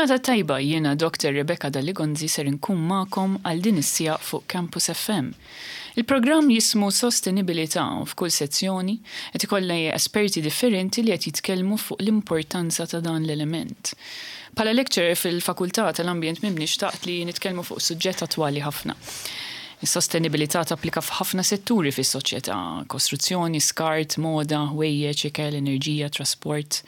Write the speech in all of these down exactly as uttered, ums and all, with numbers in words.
Il-ġurnata tajba, jiena Doctor Rebecca Dalli-Gonzi, ser nkun magħkom għal din is-siegħa fuq Campus F M. Il-programm jismu Sostenibilità u f'kull sezzjoni qed ikollna esperti differenti li qed jitkellmu fuq l-importanza ta' dan l-element. Bħala lecturer fil-Fakultà tal-Ambjent Mibni, xtaqt li nitkellmu fuq suġġett attwali ħafna. Is-sostenibilità tapplika f'ħafna setturi fis-soċjetà: kostruzzjoni, skart, moda, ħwejjeġ, ikel, enerġija, trasport,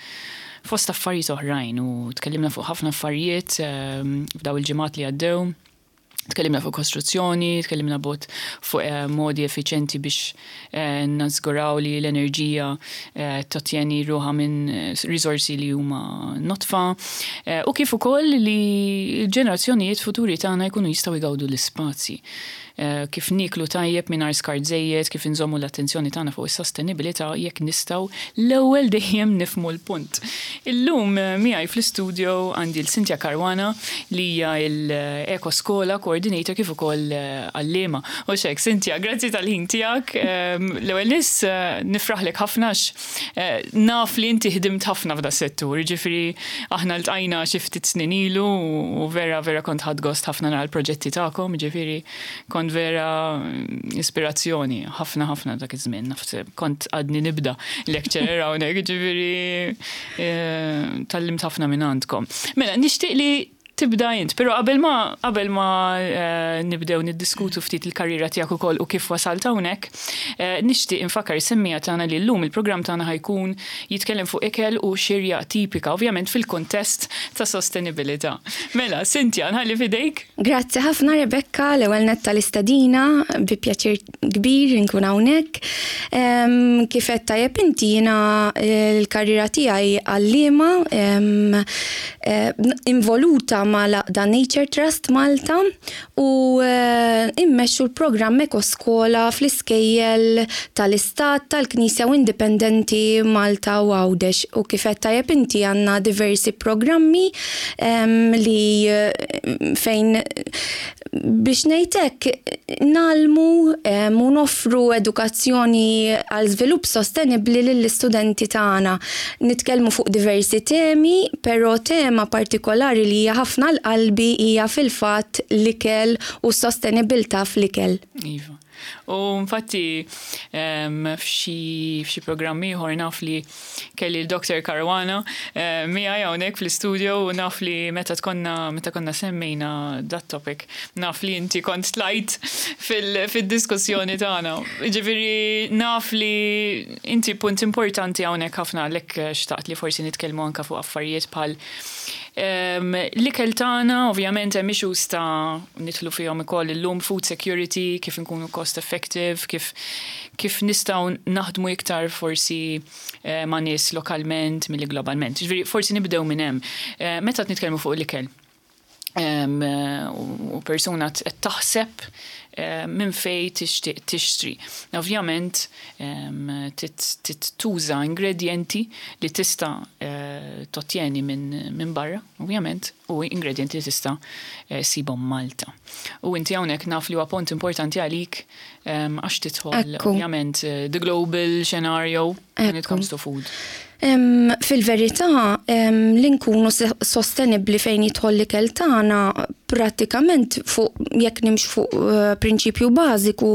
fost affarijiet oħrajn, u tkellimna fuq ħafna affarijiet ehm, f'daw il-ġimgħat li għaddew. Tkellimna fuq kostruzzjoni, tkellimna bot fuq eh, modi effiċenti biex eh, nażguraw li l-enerġija eh, tottjeni ruħha minn risorsi li huma nodfa eh, u kif ukoll li l-ġenerazzjonijiet futuri tagħna jkunu jistgħu jgawdu l-ispazji. Eh, kif niklu tajjeb mingħajr skart żejjed, kif inżommu l-attenzjoni tagħna fuq is-sostenibilità jekk nistgħu l-ewwel dejjem nifhmu l-punt. Illum eh, miegħi fl-istudio għandi l-Cynthia Caruana, li hija l-Eko Skola Coordinator kif ukoll eh, għallima. U xek, Cynthia, grazzi tal-ħin tiegħek. Ehm, L-ewwel nis nifraħlek ħafna għax naf li inti ħdimt ħafna f'da settur, ġifieri aħna ltqajna xi ftit snin ilu u vera vera kont ħadt gost ħafna nara l-proġetti tagħkom, ġifieri kont vera ispirazzjoni ħafna ħafna dak iż-żmien. Naf kont għadni nibda lecturer hawnhekk, ġifieri eh, tgħallimt ħafna minn għandkom. Mela, nixtieq li tibda int, però qabel ma qabel ma eh, nibdew niddiskutu ftit il-karriera tiegħek ukoll u kif wasalt hawnhekk, eh, nixtieq infakkar is-semmiegħa tagħna li llum il-programm tagħna ħa jkun jitkellem fuq ikel u xirja tipika, ovvjament fil-kuntest ta' sostenibilità. Mela, Cynthia, nħalli fidejk. Grazzi ħafna, Rebecca, l-ewwel nett tal-istedina, bi pjaċir kbir nkun hawnhekk. Em, Kif qed tajjeb inti, jiena l-karriera tiegħi għallima em, eh, involuta mal-għaqda Nature Trust Malta u eh, immexxu l-programm Ekoskola fl-iskejjel tal-Istat, tal-Knisja u Indipendenti Malta u Għawdex. U kif qed tajjeb inti, għandna diversi programmi em, li eh, fejn, biex ngħidlek, ngħallmu em, u noffru edukazzjoni għal żvilupp sostenibbli lill-istudenti tagħna. Nitkellmu fuq diversi temi, però tema partikolari li hija ħafna għal qalbi hija fil-fatt l-ikel u s-sostenibilità fl-ikel. Iva. U infatti em, f'xi f'xi programm ieħor naf li kelli l-Doctor Caruana eh, miegħi hawnhekk fl-istudio u naf li meta tkonna meta konna semmejna dat topic, naf li inti kont tlajt fil- fid-diskussjoni tagħna. Ġifieri naf li inti punt importanti hawnhekk ħafna, għalhekk xtaqt li forsi nitkellmu anka fuq affarijiet bħal Um, L-ikel tagħna, ovvjament hemm issues ta' nidħlu fihom ukoll illum, food security, kif inkunu cost effective, kif kif nistgħu naħdmu iktar forsi eh, ma' nies lokalment milli globalment. Ġifieri forsi nibdew minn hemm. Eh, meta qed nitkellmu fuq l-ikel em, eh, u persuna qed taħseb eh, minn fej tixtieq tixtri. Ovvjament em, tit- tit tuża ingredienti li tista' eh, tottjeni minn min barra, ovvjament, u ingredienti li tista' eh, ssibhom Malta. U inti hawnhekk naf li huwa punt importanti għalik em, għax tidħol Ekku. ovvjament eh, the global scenario when it Ekku. comes to food. Em, Fil-verità, em, li nkunu se- sostenibli fejn jidħol l-ikel tagħna, prattikament fuq jekk nimx fuq eh, prinċipju bażiku,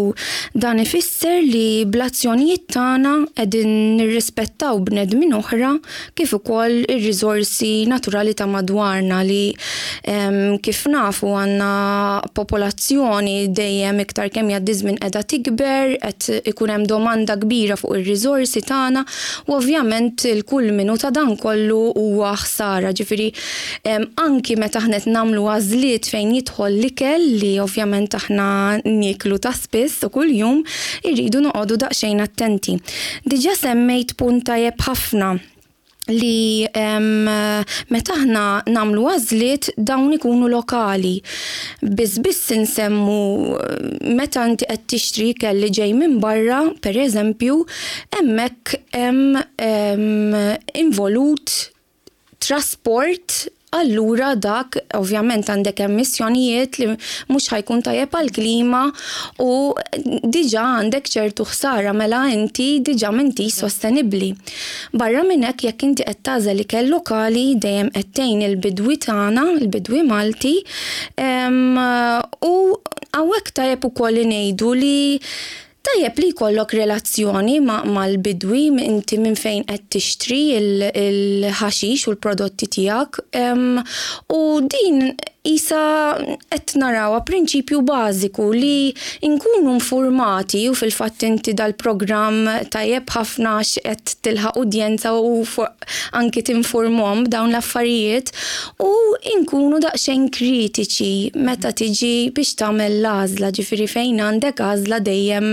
dan ifisser li bl-azzjonijiet tagħna qegħdin nirrispettaw bnedmin oħra kif ukoll ir-riżorsi naturali ta' madwarna li em, kif nafu għandna popolazzjoni dejjem iktar kemm jgħaddi żmien qiegħda tikber, qed ikun hemm domanda kbira fuq ir-riżorsi tagħna u ovvjament il-kulminu ta' dan kollu huwa ħsara. Ġifieri em, anki meta aħna qed nagħmlu għażliet fejn jidħol l-ikel li ovvjament aħna nieklu ta' spiss u kuljum, irridu noqogħdu daqsxejn attenti. Diġà semmejt punt tajjeb ħafna li em, meta aħna nagħmlu għażliet, dawn ikunu lokali. Biss biss insemmu meta inti qed tixtri ikel li ġej minn barra, per eżempju, hemmhekk hemm em, involut trasport Allura dak ovvjament għandek emissjonijiet li mhux ħa jkun tajjeb għall-klima u diġà għandek ċertu ħsara, mela inti diġà m'inti sostenibbli. Barra minn hekk, jekk inti qed tagħżel ikel lokali, dejjem qed tgħin il-bidwi tagħna, il-bidwi Malti, u hawnhekk tajjeb ukoll li ngħidu li tajjeb li jkollok relazzjoni mal-bidwi inti minn fejn qed tixtri il-ħaxix u l-prodotti tiegħek, u din isa qed narawha prinċipju bażiku li nkunu informati. U fil-fatt inti dal-programm tajjeb ħafna għax qed tilħaq udjenza u anki tinformhom b'dawn l-affarijiet u nkunu daqsxejn kritiċi meta tiġi biex tagħmel l-għażla, ġifieri fejn għandek għażla dejjem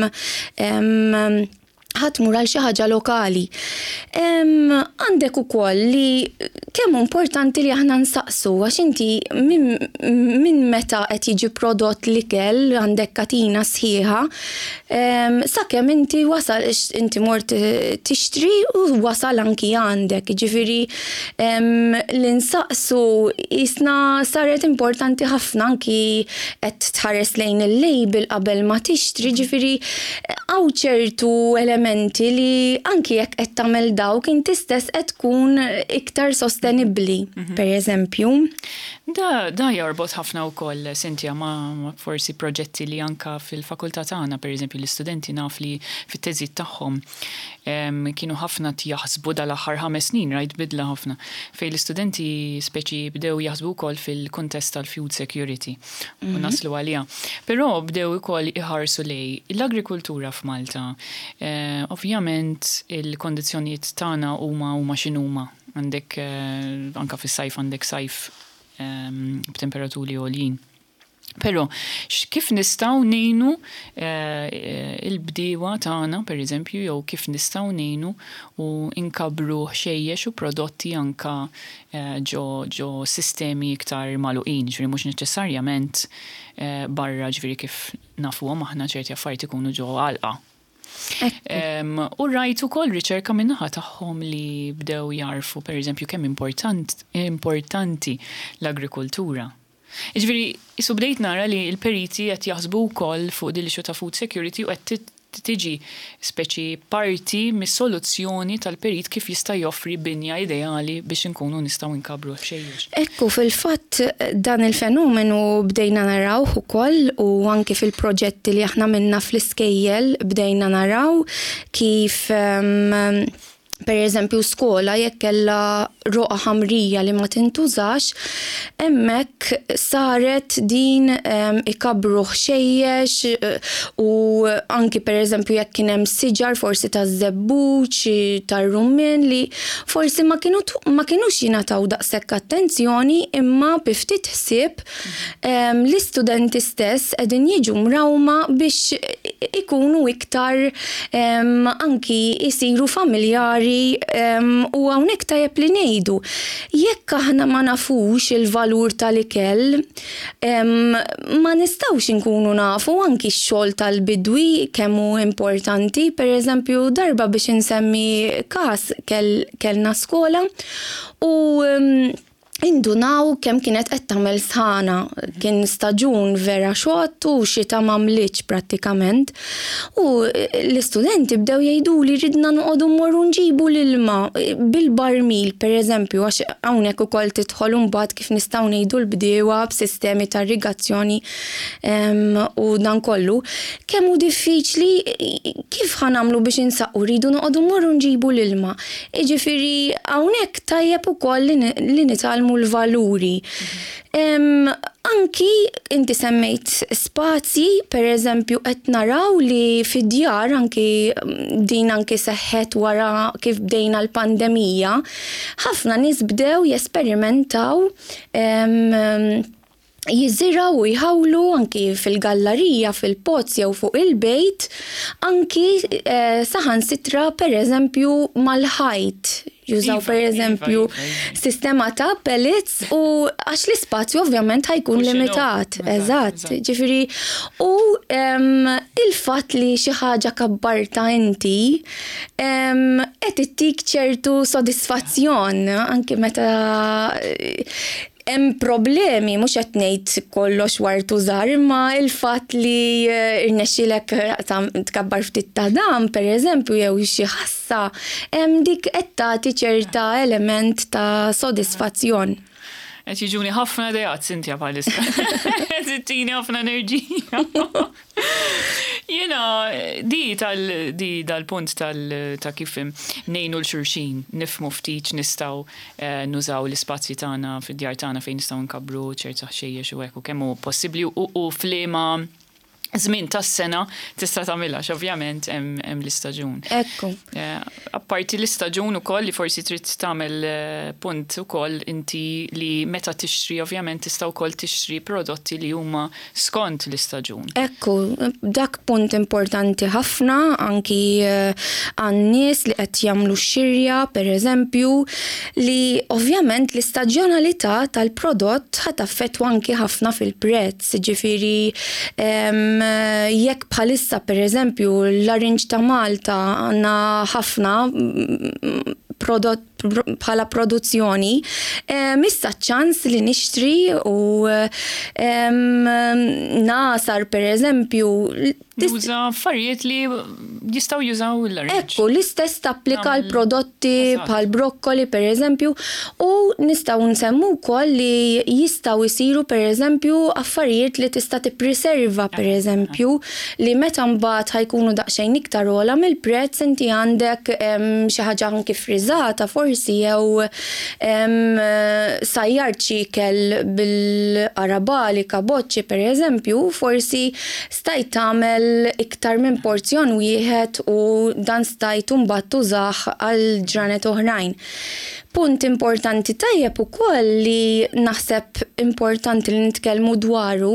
ħa tmur għal xi ħaġa lokali. Għandek ukoll li kemm importanti li aħna nsaqsu, għax inti minn meta qed jiġi prodott l-ikel għandek katina sħiħa sakemm inti wasal, inti mort tixtri u wasal anki għandek. Ġifieri li nsaqsu jisna saret importanti ħafna, anki qed tħares lejn il-label qabel ma tixtri, ġifieri hawn ċertu elementi li anki jekk qed tagħmel dawk inti stess qed tkun iktar sostenibbli, mhm. per eżempju. Da, da jorbot ħafna wkoll, Cynthia, ma, ma forsi proġetti li anka fil-fakultà tagħna, per eżempju, l-istudenti naf li fit-teżijiet tagħhom kienu ħafna jaħsbu dal-aħħar ħames snin, rajt bidla ħafna, fejn l-istudenti speċi bdew jaħsbu wkoll fil-kuntest tal-food security u mhm. naslu għalija. Però bdew ukoll iħarsu lejn l-agrikultura f'Malta. Eh, ovvjament il-kondizzjonijiet tagħna huma huma x'inhuma. Għandek eh, anka fis-sajf għandek sajf b'temperaturi għoljin. Però kif nistgħu ngħinu eh, il-bdiewa tagħna, per eżempju, jew kif nistgħu ngħinu u nkabbru ħxejjex u prodotti anka eh, ġo, ġo sistemi iktar magħluqin, ġifieri mhux neċessarjament eh, barra, ġifieri kif nafuhom aħna ċerti affarijiet ikunu ġo għalqa. U rajt ukoll riċerka min-naħa tagħhom li bdew jarfu, per eżempju, kemm important, importanti l-agrikoltura. Ġifieri, qisu bdejt nara li l-periti qed jaħsbu wkoll fuq din l-issue ta' food security u qed tiġi speċi parti mis-soluzzjoni tal-perit kif jista' joffri binja ideali biex inkunu nistgħu nkabbru ħxejjex. Ekku, fil-fatt dan il-fenomenu bdejna naraw ukoll u anki fil-proġetti li aħna minna fl-iskejjel bdejna naraw kif um, per eżempju skola jekk kellha roqa ħamrija li ma tintużax, hemmhekk saret din um, ikabbru ħxejjex eh, u anki per eżempju jekk kien hemm siġar forsi taż-żebbuġ, tar-rummin li forsi ma kienu ma kinux jingħataw daqshekk attenzjoni, imma bi ftit ħsieb um, l-istudenti stess qegħdin jiġu mrawma biex ikunu iktar um, anki jisiru familjari um, u hawnhekk tajjeb li ngħidu jekk aħna ma nafux il-valur tal-ikel, um, ma nistgħux inkunu nafu anki x-xogħol tal-bidwi kemm hu importanti. Per eżempju, darba, biex insemmi każ, kell, kellna skola u um, indunaw kemm kienet qed tagħmel sħana, kien staġun vera xott u xita m'għamlitx prattikament. U l-istudenti bdew jgħidu li ridna noqogħdu mmorru nġibu l-ilma bil-barmil, per eżempju, għax hawnhekk ukoll tidħol imbagħad kif nistgħu ngħidu l-bdiewa b'sistemi ta' irrigazzjoni u dan kollu. Kemm hu diffiċli, kif ħa nagħmlu biex insaqqu, rridu noqogħdu mmorru nġibu l-ilma. Jiġifieri hawnhekk tajjeb ukoll li nitgħallmu l-valuri. Um, anki inti semmejt spazji, per eżempju, qed naraw li fid-djar anki din anki seħħet wara kif bdejna l-pandemija, ħafna nies bdew jesperimentaw um, jiżirgħu u jħawlu anki fil-gallerija, fil-pots jew fuq il-bejt, anki eh, saħansitra per eżempju mal-ħajt. Jużaw Iva, per eżempju iva, iva, iva. sistema ta' pellets u għax l-ispazju ovvjament ħa jkun Mhux limitat. Eżatt, Eżatt, eżatt. ġifieri u em, il Il-fatt li xi ħaġa kabbarta inti qed ittik ċertu sodisfazzjon anki meta hemm problemi, mhux qed ngħid kollox ward u żahar, imma il-fatt li eh, irnexxielek tkabbar ftit ta' dam, pereżempju, jew xi ħassa, hemm dik qed tagħti ċerta element ta' sodisfazzjon. Qed jiġuni ħafna ideat, Cynthia, bħalissa. Qed ittini ħafna enerġija. Jiena, di tal di dal-punt tal ta' kif ngħinu 'l xulxin, nifhmu ftit nistgħu eh, nużaw l-ispazji tagħna fid-djar tagħna fejn nistgħu nkabbru ċerta ħxejjex u hekk u kemm hu possibbli u f'liema żmien tas-sena tista' tagħmilha, ovvjament hemm l-istaġun. Ekku. Eh, apparti l-istaġun ukoll li forsi trid tagħmel eh, punt ukoll inti li meta tixtri, ovvjament tista' wkoll tixtri prodotti li huma skont l-istaġun. Ekku, dak punt importanti ħafna anki eh, għan-nies li qed jagħmlu xirja, pereżempju, li ovvjament l-istaġjonalità tal-prodott ħa taffettwa anki ħafna fil-prezz, ġifieri jekk bħalissa, per eżempju, l-larinġ ta' Malta għandna ħafna mm, prodott bħala produzzjoni, issa ċans li nixtri u nasar, per eżempju. Juża affarijiet li jistgħu jużaw il-larinġ. Ekku, l-istess tapplika l-prodotti bħal brokkoli, per eżempju, u nistgħu nsemmu wkoll li jistgħu jsiru, per eżempju, affarijiet li tista' tippreserva, per eżempju, li meta mbagħad ħa jkunu daqsxejn iktar ogħla mill-prezz, inti għandek xi ħaġa anki friżata forsi jew sajjart xi ikel bil-qarabagħli, kaboċċi, per eżempju, forsi stajt tagħmel iktar minn porzjon wieħed u dan stajt mbagħad tużah għal ġranet oħrajn. Punt importanti tajjeb ukoll li naħseb importanti li nitkellmu dwaru,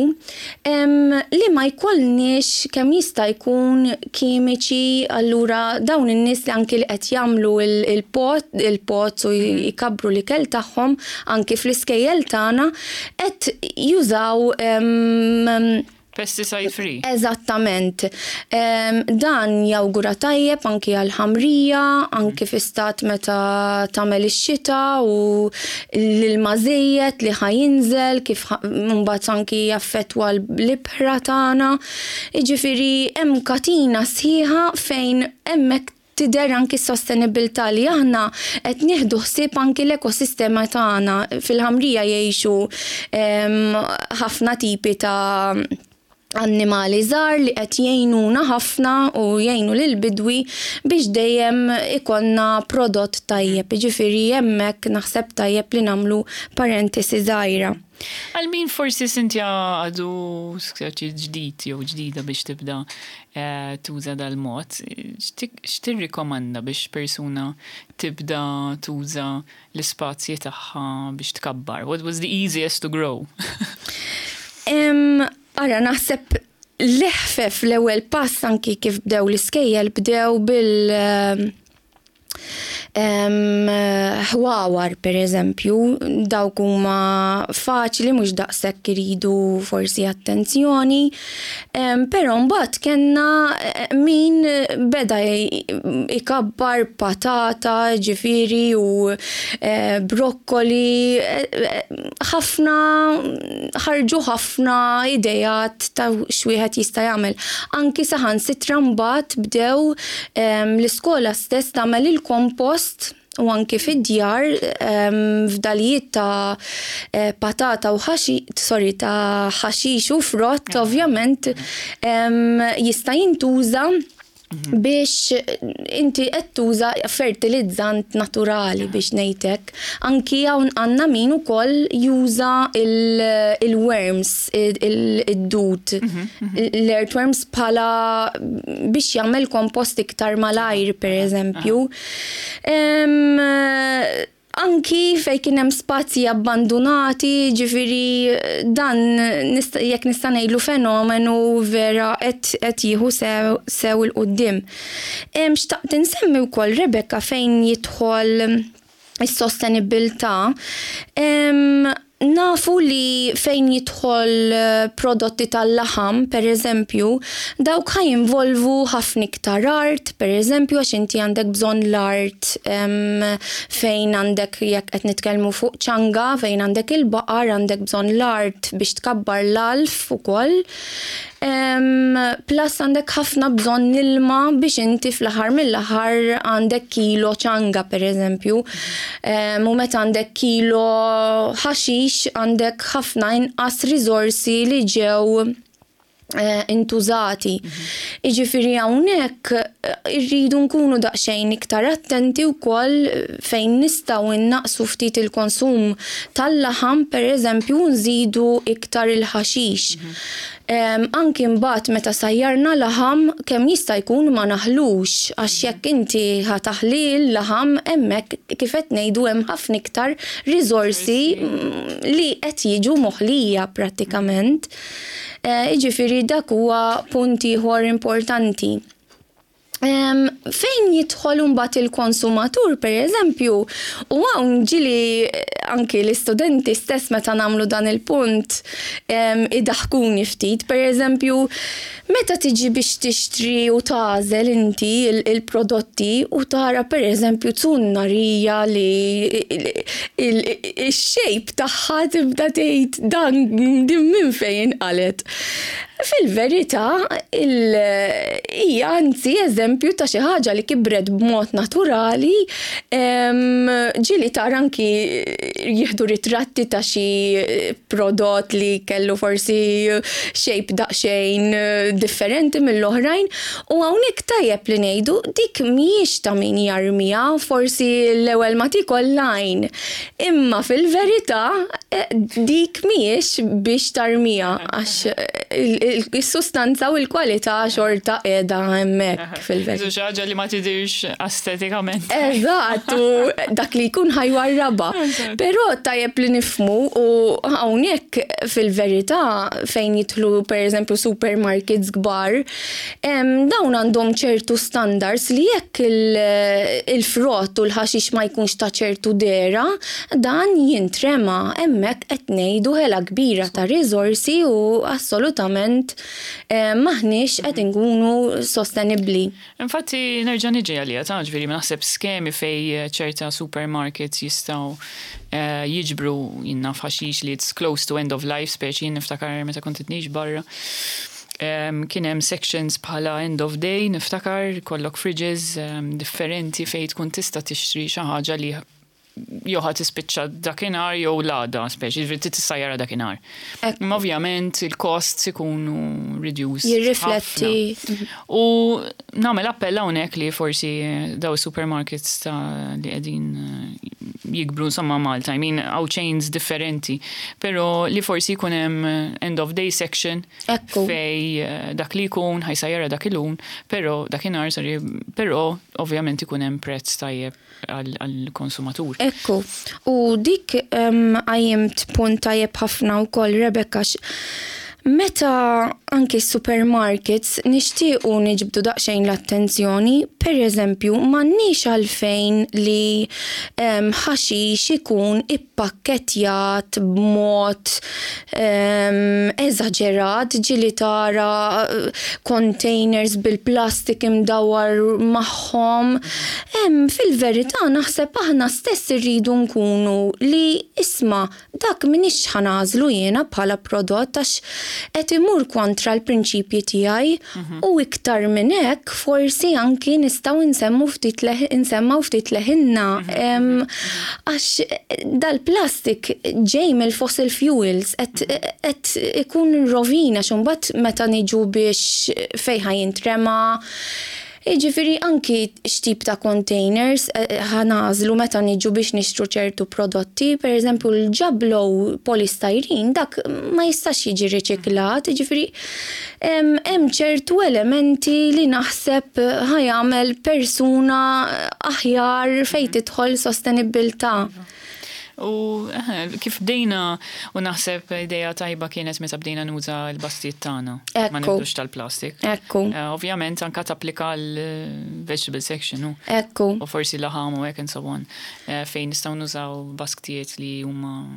li ma jkollniex kemm jista' jkun kimiċi. Allura dawn in-nies li anki li qed jagħmlu il-pot il-pots u jkabbru l-ikel tagħhom anki fl-iskejjel tagħna qed jużaw Pesticide free. Eżattament. Dan jawgura tajjeb anki għal-ħamrija, anki fi stat meta tagħmel ix-xita u l-ilma żejjed li ħa jinżel kif mbagħad anki jaffettwa l-ibħra tagħna. Jiġifieri hemm katina sħiħa fejn hemmhekk tidher anki s-sostenibilità li aħna qed nieħdu ħsieb anki l-ekosistema tagħna. Fil-ħamrija jgħixu ħafna tipi ta' annimali żgħar li qed jgħinuna ħafna u jgħinu lil bidwi biex dejjem ikollna prodott tajjeb. Jiġifieri hemmhekk naħseb tajjeb li nagħmlu parentesi żgħira. Għal min forsi, Cynthia, għadu skjaċi ġdid jew ġdida biex tibda eh, tuża dal-mod, x'tirrikomanda biex persuna tibda tuża l-ispazji tagħha biex tkabbar? What was the easiest to grow? Ara, naħseb l-eħfef, l-ewwel pass, anki kif bdew l-iskejjel, bdew bil ħwawar, per eżempju, dawk huma faċli, mhux daqshekk iridu forsi attenzjoni, però mbagħad kellna eh, min beda ikabbar patata, ġifieri, u eh, brokkoli, eh, ħafna ħarġu ħafna idejat ta' x'wieħed jista' jagħmel. Anki saħansitra mbagħad bdew l-iskola stess tagħmel il-kompost u anki fid-djar fdalijiet ta' eh, patata u ħaxi, sorry, ta' ħaxix u frott, ovvjament jista' jintuża mhm. biex inti qed tuża fertilizzant naturali, biex ngħidlek. Anki hawn għandna min ukoll juża il-worms, id-dud, mhm, mhm. l-earthworms bħala biex jagħmel kompost iktar malajr, per eżempju. Anki fej kien hemm spazji abbandonati, ġifieri dan jekk nista' ngħidlu fenomenu vera qed jieħu sew sew 'il quddiem. Xtaqt insemmi wkoll, Rebecca, fejn jidħol is-sostenibilità. Nafu li fejn jidħol eh, prodotti tal-laħam, per eżempju, dawk ħa jinvolvu ħafna iktar art, per eżempju, għax inti għandek bżonn l-art fejn għandek, jekk qed nitkellmu fuq ċanga, fejn għandek il-baqar, għandek bżonn l-art biex tkabbar l-għalf ukoll. Plus għandek ħafna bżonn ilma biex inti fl-aħħar mill-aħħar għandek kilo ċanga, per eżempju. U meta għandek kilo ħaxix, għandek ħafna inqas riżorsi li ġew eh, intużati. Iġifieri hawnhekk eh, irridu nkunu daqsxejn iktar attenti wkoll fejn nistgħu innaqsu ftit il-konsum tal-laħam, per eżempju, nżidu iktar il-ħaxix. Anki mbagħad meta sajjarna laħam, kemm jista' jkun ma naħlux, għax jekk inti ħa taħli l-laħam, hemmhekk kif qed ngħidu hemm ħafna iktar riżorsi mm, li qed jiġu moħlija prattikament. Eh, Jiġifieri dak huwa punt ieħor importanti. Fejn jidħol mbagħad il-konsumatur, per eżempju, u hawn ġieli eh, anki l-istudenti stess meta nagħmlu dan il-punt idaħkuni ftit, per eżempju, meta tiġi biex tixtri u tagħżel inti il-prodotti u tara, per eżempju, zunnarija li il-shape tagħha tibda tgħid, "Dan din minn fejn inqalgħet?" Fil-verità, hija anzi eżempju ta' xi ħaġa li kibret b'mod naturali. Ġieli tara anki jieħdu ritratti ta' xi prodott li kellu forsi shape daqsxejn differenti mill-oħrajn u hawnhekk tajjeb li ngħidu dik mhijiex ta' min jarmiha, forsi l-ewwel ma tiekol l-għajn. Imma fil-verità eh, dik mhijiex biex tarmiha għax il-sustanza u l-kwalità xorta qiegħda hemmhekk fil-verità. Xi ħaġa li ma tidirx estetikament. Eżatt, u dak li jkun ħa jwarrabha. Però tajjeb li nifhmu u hawnhekk fil-verità fejn jidħlu, per eżempju, supermarkets kbar, dawn għandhom ċertu standards li jekk il-frott u l-ħaxix ma jkunx ta' ċertu dehra, dan jintrema. Hemmhekk qed ngħidu ħela kbira ta' riżorsi u assolutament m'aħniex qed inkunu sostenibbli. Infatti nerġa' niġi għalija ta' ġifieri naħseb skemi fej ċerta supermarkets jistgħu eh, jiġbru jinna ħaxix li it's close to end of life, speċi jien niftakar meta kont ngħix barra. Kien hemm sections bħala end of day, niftakar kollok fridges um, differenti fej tkun tista' tixtri xi ħaġa li jew ħa tispiċċa dakinhar jew l-għada, speċi, ġifieri tissajjara dakinhar. Imma ovvjament il-costs ikunu reduced. Jirrifletti. U nagħmel appell hawnhekk li forsi daw supermarkets ta' li qegħdin eh, jikbru insomma Malta, I mean, hawn chains differenti, però li forsi jkun hemm end of day section fej eh, dak li jkun ħa jsajjarha dak il-lum, però dakinhar, sorry, però ovvjament ikun hemm prezz tajjeb għall-konsumatur. Ekku, u dik qajjimt punt tajjeb ħafna wkoll, Rebecca. Meta anki supermarkets nixtiequ niġbdu daqsxejn l-attenzjoni, per eżempju, m'għandniex għalfejn li ħaxix ikun ippakketjat b'mod eżaġerat, ġieli tara containers bil-plastik imdawar magħhom. Fil-verità naħseb aħna stess irridu nkunu li, isma', dak m'iniex ħa nagħżlu jiena bħala prodott għax qed imur kontra l-prinċipji tiegħi mhm. u iktar minn hekk forsi anki nistgħu nsemmu ftit nsemmaw ftit leħinna mhm. għax dal-plastik ġej mill-fossil fuels, qed ikun rovina x'mbagħad meta niġu biex fejn ħa jintrema. Jiġifieri anki x'tip ta' containers eh, ħa nagħżlu meta niġu biex nixtru ċertu prodotti, per eżempju l-ġablo polystyrene, dak ma jistax jiġi riċiklat, jiġifieri hemm ċertu elementi li naħseb ħa jagħmel persuna aħjar fejn tidħol sostenibbiltà. U eh, kif bdejna u naħseb ideja tajba kienet meta bdejna nuża l-basktijiet tagħna. Ma Ekku. nibdux tal-plastik. Ekku, Eh, Ovvjament anka tapplika l-vegetable section, u. ekku. U forsi laħam u hekk and so on. Eh, Fejn nistgħu nużaw basktijiet li huma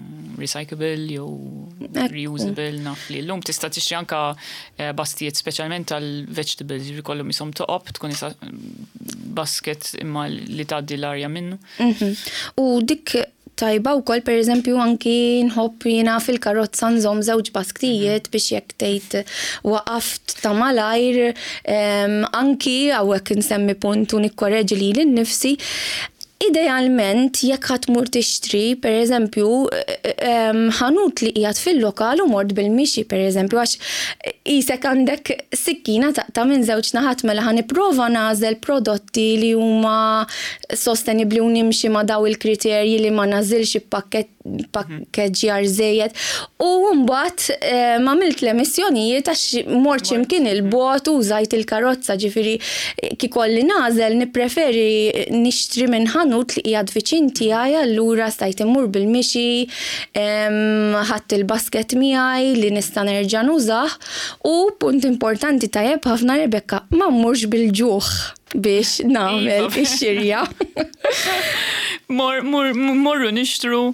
recyclable jew Ekku. reusable, naf li llum tista' tixtri anka eh, basktijiet speċjalment tal-vegetables, jiġifieri kollhom jisom toqob tkun isa basket imma li tgħaddi l-arja minnu. Mhm. U dik tajba wkoll, per eżempju, anki nħobb jiena fil-karozza nżomm żewġ basktijiet biex jekk tgħid waqaft ta' malajr, em, anki hawnhekk insemmi punt u nikkoreġi lili nnifsi. Idealment, jekk ħa tmur tixtri, per eżempju, em, ħanut li qiegħed fil-lokal u mort bil-mixi, per eżempju, għax qisek għandek sikkina taqta' minn żewġ naħat. Mela ħa nipprova nagħżel prodotti li huma sostenibli u nimxi ma' daw il-kriterji li ma nagħżilx pakket pakkeġġjar żejjed. U mbagħad eh, m'għamilt l-emissjonijiet għax mort x'imkien il-bogħod u użajt il-karozza, ġifieri kieku kelli nagħżel nippreferi nixtri minn ħanut li qiegħed viċin tiegħi, allura stajt immur bil-mixi, em, ħadt il-basket miegħi li nista' nerġa' nużah. U punt importanti tajjeb ħafna, Rebecca, ma mmurx bil-ġuħ biex nagħmel Iva. ix-xirja. Mor, mor, morru nixtru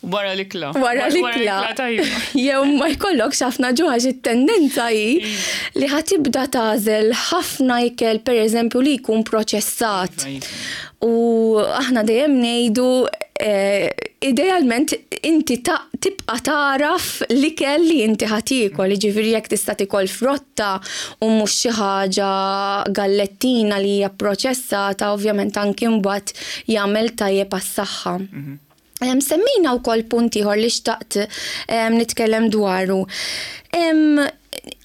wara l-ikla. Wara l-ikla. Tajba. Jew ma jkollokx ħafna ġuħ, għax it-tendenza hi li ħa tibda tagħżel ħafna ikel, per eżempju, li jkun proċessat. Iva, iva. U aħna dejjem ngħidu eh, idealment inti ta- tibqa taraf l-ikel li inti ħa tiekol, ġifieri jekk tista' tikol frotta u mhux xi ħaġa gallettina li hija proċessata, ovvjament anki mbagħad jagħmel tajjeb għas-saħħa. Em, Semmejna wkoll punt ieħor li xtaqt em, nitkellem dwaru. Em,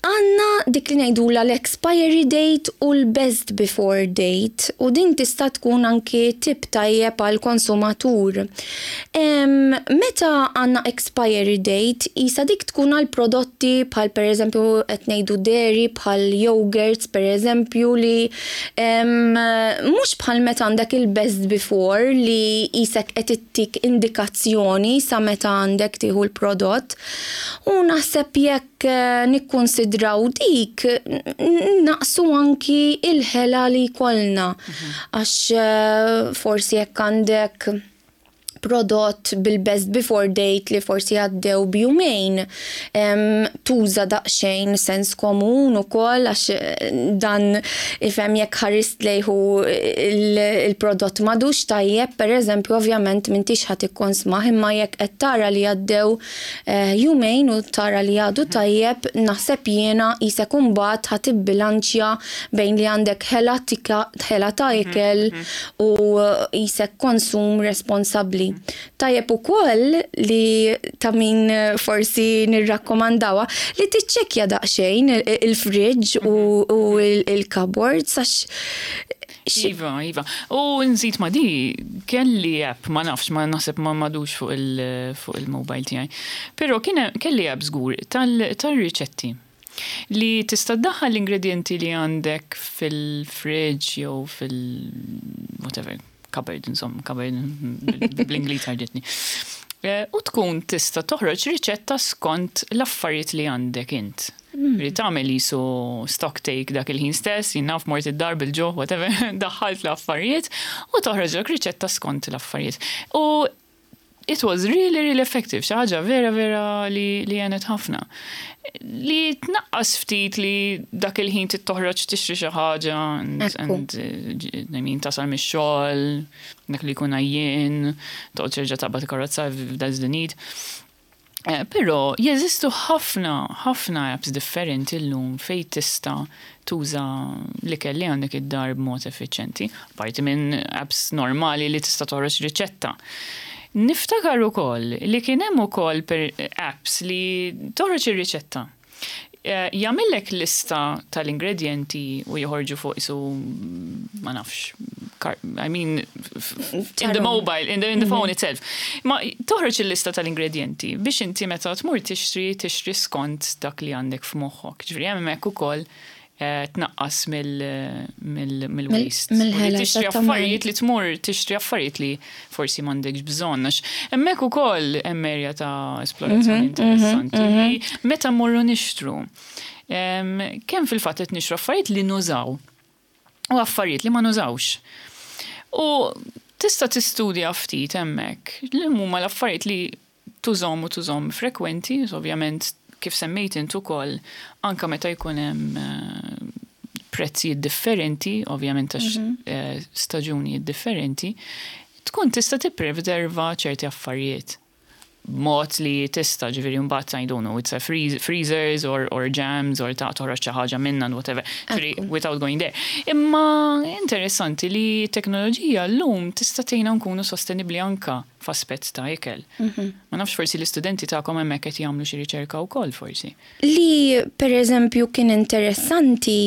Għandna dik li ngħidula l-expiry date u l-best before date, u din tista' tkun anki tip tajjeb għal konsumatur. Em, Meta għandna expiry date, isa dik tkun għal prodotti bħal per eżempju qed ngħidu dairy, bħal yogurts per eżempju, li em, mhux bħal meta għandek il-best before li qisek qed ittik indikazzjoni sa meta għandek tieħu l-prodott. U naħseb jekk eh, nikkonsidraw dik, n- naqsu anki il-ħela li jkollna. Għax eh, forsi jekk għandek prodott bil-best before date li forsi għaddew b'jumejn, em, tuża daqsxejn sens komun ukoll, għax eh, dan ifhem jekk ħarist lejhu il-prodott m'għadux tajjeb, per eżempju, ovvjament m'intix ħa tikkonsmah, imma jekk qed tara li għaddew eh, jumejn u tara li għadu tajjeb, naħseb jiena qisek imbagħad ħa tibbilanċja bejn li għandek ħela tika- ħela ta' ikel u qisek konsum responsabbli. Tajjeb ukoll li ta' min forsi nirrakkomandawa li tiċċekkja daqsxejn il- il-fridge u, u il-cupboards għax Iva, iva. U nżid ma di, kelli app, ma nafx, ma naħseb ma m'għadux fuq il- fuq il-mobile tiegħi. Però kien kelli app żgur tal-riċetti li tista' ddaħħal l-ingredienti li għandek fil-fridge jew fil- whatever, cupboard, insomma, cupboard bl-Ingliż ħarġitni. Eh, U tkun tista' toħroġ riċetta skont l-affarijiet li għandek int. Li tagħmel jisu stock take dak il-ħin stess, jien naf mort id-dar bil-ġuħ, whatever, daħħalt l-affarijiet u toħroġ riċetta skont l-affarijiet. U it was really, really effective, xi ħaġa vera, vera li, li għenet ħafna. Li tnaqqas ftit li dak il-ħin tittoħroġ tixtri xi ħaġa and, Ekku. and eh, I mean, tasal mix-xogħol, dak li jkun għajjien, toqgħod terġa' taqbad karozza if that's the need. Eh, Però jeżistu ħafna, ħafna apps differenti llum fej tista' tuża l-ikel li għandek id-dar b'mod effiċjenti, parti minn apps normali li tista' toħroġ riċetta. Niftakar ukoll li kien hemm ukoll per apps li toħroġ ir-riċetta. Eh, Jagħmellek lista tal-ingredienti u joħorġu fuq isu, ma nafx, kar- I mean, f- f- in the Tarom. mobile, in the, in the phone itself. Ma toħroġ il-lista tal-ingredienti biex inti meta tmur tixtri, tixtri skont dak li għandek f'moħħok. Ġifieri hemmhekk ukoll eh, tnaqqas mill-waste. Mill tixtri affarijiet li tmur tixtri affarijiet li forsi m'għandekx bżonn. Għax hemmhekk ukoll hemm erja ta' esplorazzjoni mhm, mhm, interessanti. Mhm. Meta mmorru nixtru, kemm fil-fatt qed nixtru affarijiet li nużaw u affarijiet li ma nużawx. U tista' tistudja ftit hemmhekk li huma l-affarijiet li tużahom u tużahom frekwenti, ovvjament kif semmejt int ukoll, anka meta jkun hemm eh, prezzijiet differenti, ovvjament għax mhm. eh, staġunijiet differenti, tkun tista' tippreserva ċerti affarijiet mod li tista', ġifieri, mbagħad, I don't know, it's a freezers or, or jams or ta' toħroġ xi ħaġa minna and whatever. Ġifieri, without going there. Imma interessanti li teknoloġija llum tista' tgħinna nkunu sostenibbli anka f'aspett ta' ikel. Mhm. Ma nafx, forsi l-istudenti tagħkom hemmhekk qed jagħmlu xi riċerka wkoll forsi. Li per eżempju kien interessanti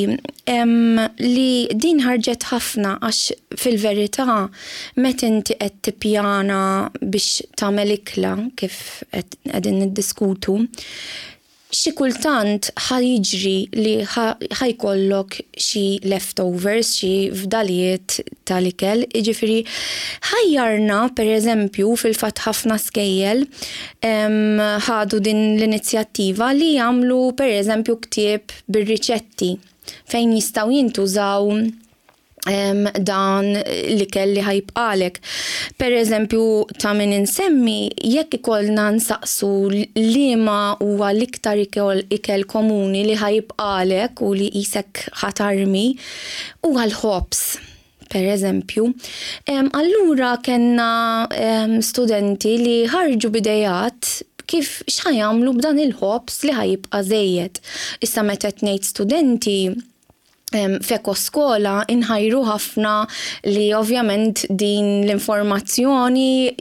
em, li din ħarġet ħafna, għax fil-verità meta inti qed tippjana biex tagħmel ikla, kif qegħdin niddiskutu, xi kultant ħa jiġri li ħa jkollok xi leftovers, xi fdalijiet tal-ikel, jiġifieri ħajjarna. Per eżempju, fil-fatt ħafna skejjel ħadu din l-inizjattiva li jagħmlu, per eżempju, ktieb bir-riċetti fejn jistgħu jintużaw dan l-ikel li ħa jibqagħlek. Per eżempju, ta' min insemmi, jekk ikollna nsaqsu liema huwa l-iktar ikel, ikel komuni li ħa jibqagħlek u li qisek ħa tarmi, huwa l-ħobż, per eżempju. Allura kellna studenti li ħarġu b'ideat kif x'ħa jagħmlu b'dan il-ħobż li ħa jibqa' żejjed. Issa meta ngħid studenti, f'Ekoskola inħajru ħafna li ovvjament din l-informazzjoni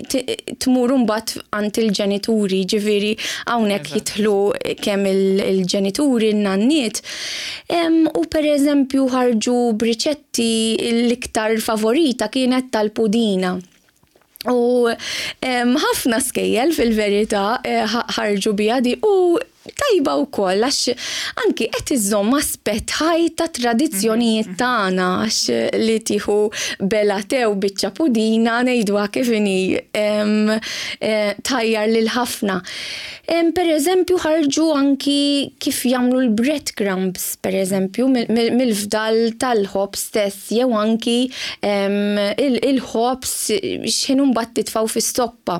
tmur mbagħad għand il-ġenituri, ġifieri hawnhekk jidħlu kemm il-ġenituri, n-nanniet. U per eżempju ħarġu b'riċetti, l-iktar favorita kienet tal-pudina. U ħafna skejjel fil-verità eh, ħarġu biha di u tajba wkoll għax anki qed iżomm aspett ħaj ta' tradizzjonijiet mhm, mhm. tagħna, għax li tieħu bela tew biċċa pudina, ngħidwa kif inhi, eh, tajjar lil ħafna. Per eżempju, ħarġu anki kif jagħmlu l-breadcrumbs, per eżempju, mill-fdal tal-ħobż stess, jew anki il-ħobż x'inhu mbagħad titfgħu fis-soppa.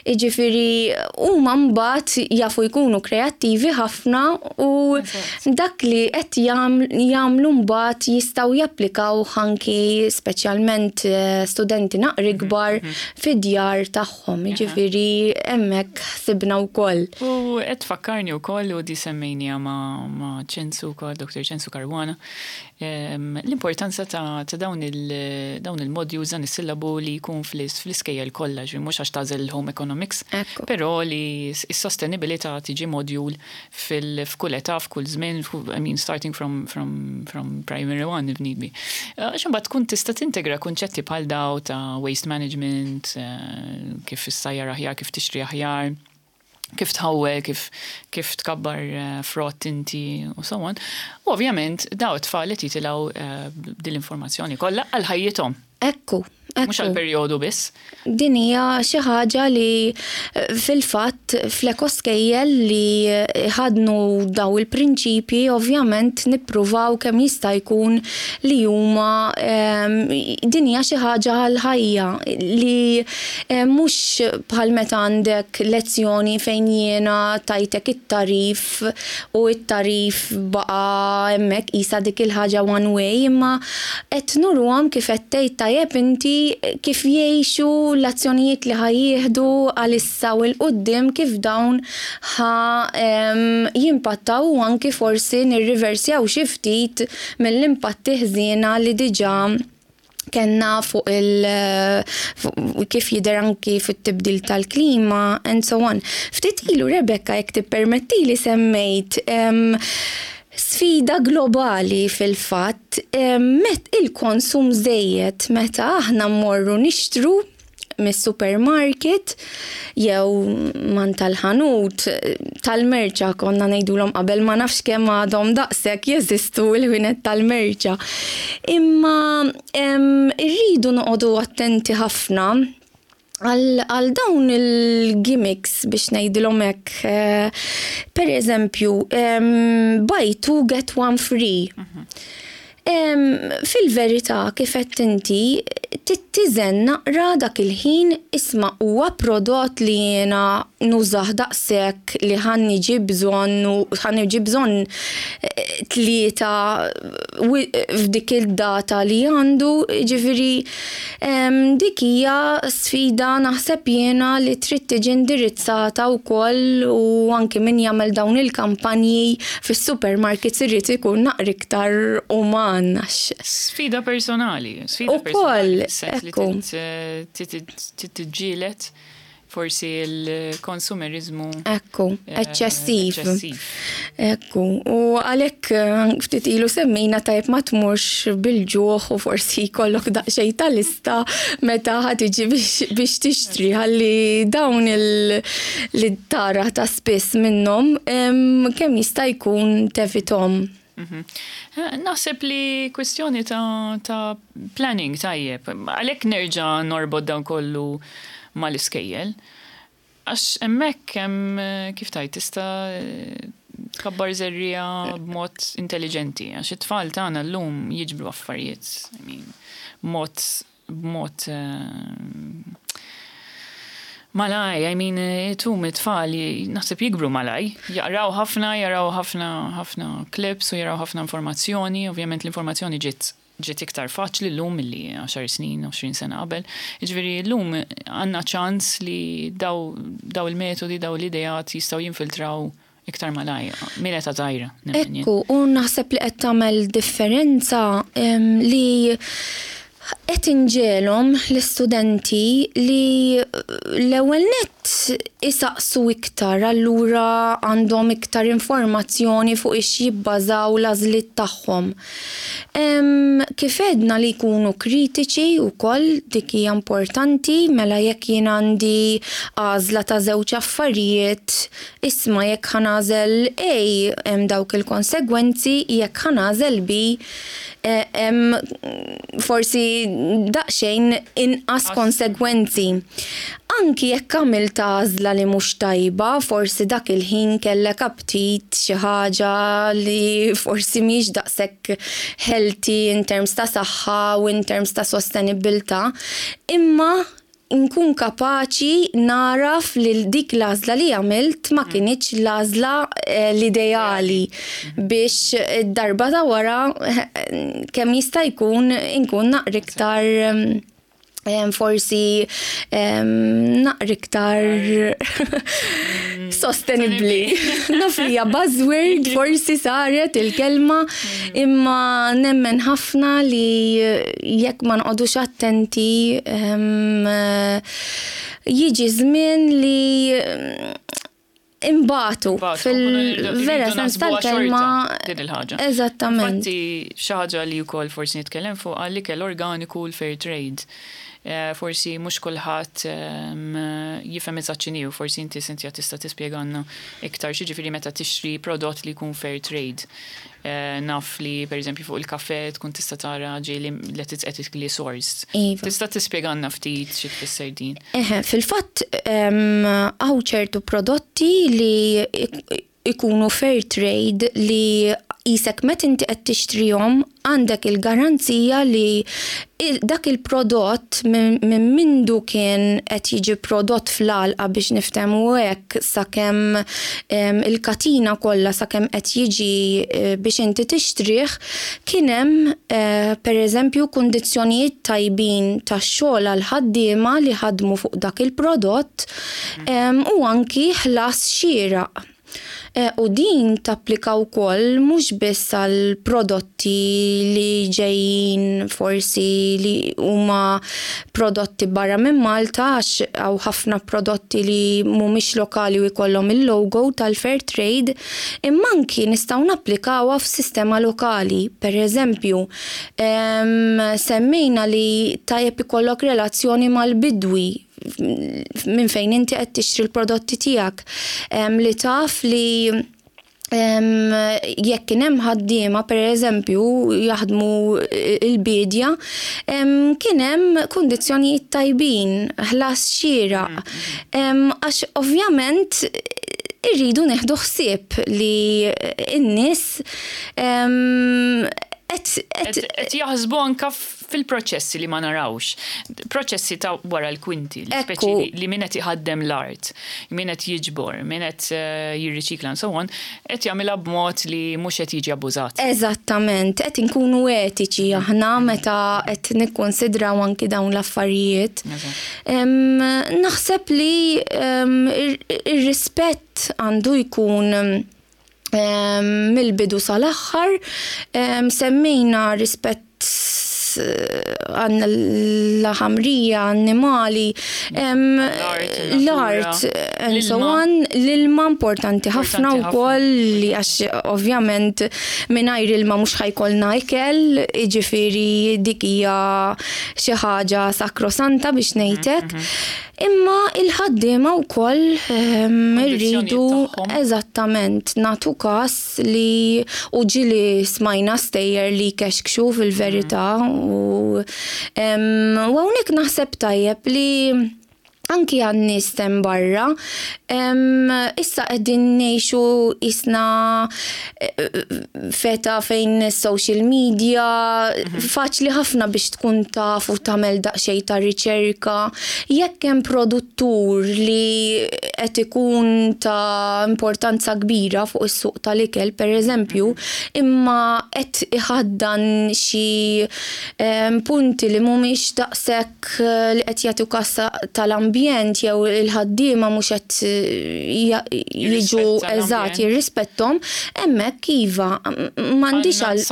Jiġifieri huma mbagħad jafu jkunu kreattivi ħafna u dak li qed jagħmlu mbagħad jistgħu japplikaw anki, speċjalment eh, studenti naqra kbar, mhm, mhm. fid-djar tagħhom. Jiġifieri hemmhekk sibna wkoll. U qed tfakkarni wkoll, u di semmejnija ma' Ċensu wkoll, Doktor Ċensu Caruana, l-importanza ta' dawn il-modules, dan is-sillabu li jkun fl-iskejjel kollha, ġifieri mhux għax tagħżel il-home economics, però li s-sostenibilità tiġi module fil-f'kull età, f'kull żmien, I mean, starting from, from, from primary one if need be. Għax imbagħad tkun tista' tintegra kunċetti bħal daw ta' waste management, eh, kif issajjar aħjar, kif tixtri aħjar, kif tħawwel, kif, kif tkabbar eh, frott inti u so on. U ovvjament daw it-tfal li jitilgħu uh, din l-informazzjoni kollha għal ħajjithom. Ekku. Mhux għal perjodu biss. Din hija xi ħaġa li eh, fil-fatt fl-ekoskejjel li ħadnu daw il-prinċipji, ovvjament nippruvaw kemm jista' jkun li huma din hija xi ħaġa għal ħajja li eh, mhux bħal meta għandek lezzjoni fejn jiena tajtek it-tagħrif u it-tagħrif baqa' hemmhekk, qisha dik il-ħaġa one way, imma qed nuruhom, kif qed tgħid tajjeb inti, kif jgħixu l-azzjonijiet li ħa jieħdu għalissa u 'l quddiem, kif dawn ħa jimpattaw u anki forsi nirriversjaw xi ftit mill-impatti ħżiena li diġà kellna fuq il kif jidher anki fit-tibdil tal-klima and so on. Ftit ilu, Rebecca, jekk tippermetti li semmejt sfida globali fil-fatt, met il-konsum żejjed, meta aħna mmorru nixtru mis-supermarket jew man tal-ħanut tal-merċa konna ngħidulhom qabel, ma nafx kemm għadhom daqshekk jeżistu l-ħwienet tal-merċa. Imma irridu noqogħdu attenti ħafna għal dawn il-gimmicks, biex ngħidilhom hekk. Eh, per eżempju, buy two, get one free. Mhm. Fil-verità, kif qed inti, tittiżen naqra dak il-ħin, isma', huwa prodott li jiena nużah daqshekk li ħa niġi bżonn u ħa niġi bżonn eh, tlieta f'dik il-data li għandu? Ġifieri dik hija sfida, naħseb jiena, li trid tiġi indirizzata wkoll u anki min jagħmel dawn il-kampanji fis-supermarkets irid ikun naqra iktar uman. Sfida personali, sfida personali. Ekku. Tiġġieled forsi l-konsumerizmu. Ekku, eh, eċċessiv. Ekku, u għalhekk eh, ftit ilu semmejna tajb ma tmurx bil-ġuħ u forsi jkollok daqsxejn ta' lista meta ħa tiġi biex tixtri, ħalli dawn li tara ta' spiss minnhom kemm jista' jkun tevitahom. Mhm. Eh, naħseb li kwestjoni ta', ta planning tajjeb. Għalhekk nerġa' norbot dan kollu mal-iskejjel. Għax hemmhekk hemm, kif tajt, tista' tkabbar żerriegħa b'mod intelligenti. Għax it-tfal tagħna llum jiġbru affarijiet, I mean, mod b'mod eh, malajr, I mean, tum it-tfal naħseb jikbru malajr, jaqraw ħafna, jaraw ħafna ħafna clips u jaraw ħafna informazzjoni, ovvjament l-informazzjoni ġiet ġiet iktar faċli llum milli għaxar snin, għoxrin sena qabel. Ġifieri llum għandna ċans li daw, daw il-metodi, daw l-idejat jistgħu jinfiltraw iktar malajr, minn età żgħira. Ekku, u naħseb li qed tagħmel differenza li qed inġegħluhom l-istudenti li l-ewwel nett isaqsu iktar, allura għandhom iktar informazzjoni fuq ix jibbażaw l-għażliet tagħhom. Kif għedna, li jkunu kritiċi wkoll, dik hija importanti. Mela jekk jien għandi għażla ta' żewġ affarijiet, isma', jekk ħa nagħżel A hemm dawk il-konsegwenzi, jekk ħa nagħżel B hemm forsi daqsxejn inqas konsegwenzi. Anki jekk għamilt għażla li mhux tajba, forsi dak il-ħin kellek aptit xi ħaġa li forsi mhix daqshekk healthy in terms ta' saħħa u in terms ta' sostenibilità, imma nkun kapaċi naraf li dik l-għażla li għamilt ma kinitx l-għażla eh, l-ideali biex darba ta' wara eh, kemm jista' jkun inkun naqra iktar forsi naqra iktar sostenibli. Naf li hija buzzword, forsi saret il-kelma, imma nemmen ħafna li jekk ma nqogħdux attenti jiġi żmien li imbatu fil-vera sens tal-kelma. Din il-ħaġa. Eżattament. Infatti xi ħaġa li wkoll forsi nitkellem fuq għall-ikel organiku, l-fair trade. Eh, forsi mhux kulħadd ehm, jifhem eżatt x'inhi, forsi inti, Cynthia, tista' tispjegalna iktar x'jiġifieri meta tixtri prodott li jkun fair trade. Eh, naf li pereżempju fuq il-kafe tkun tista' tara ġieli li it's ethically sourced. Iva. Tista' tispjegalna ftit xi tfisser din? Eħe, fil-fatt hawn ċertu prodotti li ikunu fair trade li jisek met inti qed tixtrihom għandek il-garanzija li dak il-prodott minn mindu kien qed jiġi prodott fl-għalqa, biex niftehmu hekk, sakemm il-katina kollha, sakemm qed jiġi eh, biex inti tixtrih, kien hemm eh, pereżempju kundizzjonijiet tajbin tax-xogħol għal ħaddiema li ħadmu fuq dak il-prodott u anki ħlas xieraq. Eh, u din tapplika wkoll mhux biss għal prodotti li ġejjin forsi li huma prodotti barra minn Malta, għax hawn ħafna prodotti li mhumiex lokali u jkollhom il-logo tal-fair trade, imma anki nistgħu napplikawha f'sistema lokali. Per eżempju, semmejna li tajjeb ikollok relazzjoni mal-bidwi minn fejn inti qed tixtri l-prodotti tiegħek, li taf li jekk kien hemm ħaddiema, pereżempju, jaħdmu il-bidja, kien hemm kundizzjonijiet tajbin, ħlas xieraq. Għax ovvjament irridu neħdu ħsieb li n-nies qed jaħsbu anka fil-proċessi li ma narawx. Proċessi ta' wara l-kwinti, speċi li min qed iħaddem l-art, min qed jiġbor, min qed eh, jirriċikla and so on, qed jagħmilha b'mod li mhux qed jiġi abbużat. Eżattament, qed inkunu etiċi aħna meta qed nikkonsidraw anki dawn l-affarijiet. Naħseb li ir-rispett għandu jkun mill-bidu sal-aħħar. Semmejna rispett għanna l-ħamrija, annimali, l-art, and so on, l-ilma importanti ħafna u koll, li għax ovvjament mingħajr ilma mhux ħa jkollna ikel, ġifieri dik hija xi ħaġa sakrosanta biex ngħidlek. Mhm, mhm. Imma il-ħaddiema wkoll irridu eżattament nagħtu kas li u ġieli smajna stejjer li kexkxu fil-verità u hawnhekk naħseb tajjeb li anki għan-nies hemm barra, issa qegħdin ngħixu isna f'età fejn social media, faċli ħafna biex tkun taf u tagħmel daqsxejn ta' riċerka. Jekk hemm produttur li qed ikun ta' importanza kbira fuq is-suq tal-ikel, per eżempju, imma qed iħaddan xi punti li mhumiex daqshekk li qed jagħtu kas tal-ambjent jew il-ħaddiema mhux qed jiġu eżatt jirrispettom, hemmhekk iva m'għandix għal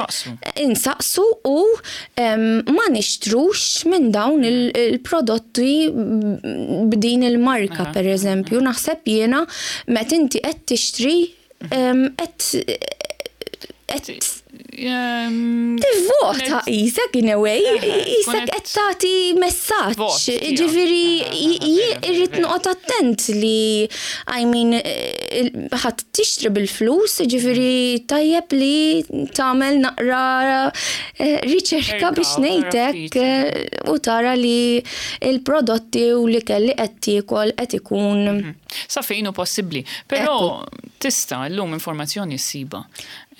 insaqsu u ma nixtrux minn dawn il-prodotti b'din il-marka, per eżempju. Naħseb jiena meta inti qed tixtri qed qed tivvota qisek in a way, qisek qed tagħti messaġġ. Ġifieri irrid noqgħod attent li, I mean, ħadd tixtri bil-flus, ġifieri tajjeb li tagħmel naqra riċerka biex ngħidlek u tara li l-prodotti u l-ikel li qed tiekol qed ikun. Mhm. Sa fejn hu possibbli. Però tista' llum informazzjoni ssiba.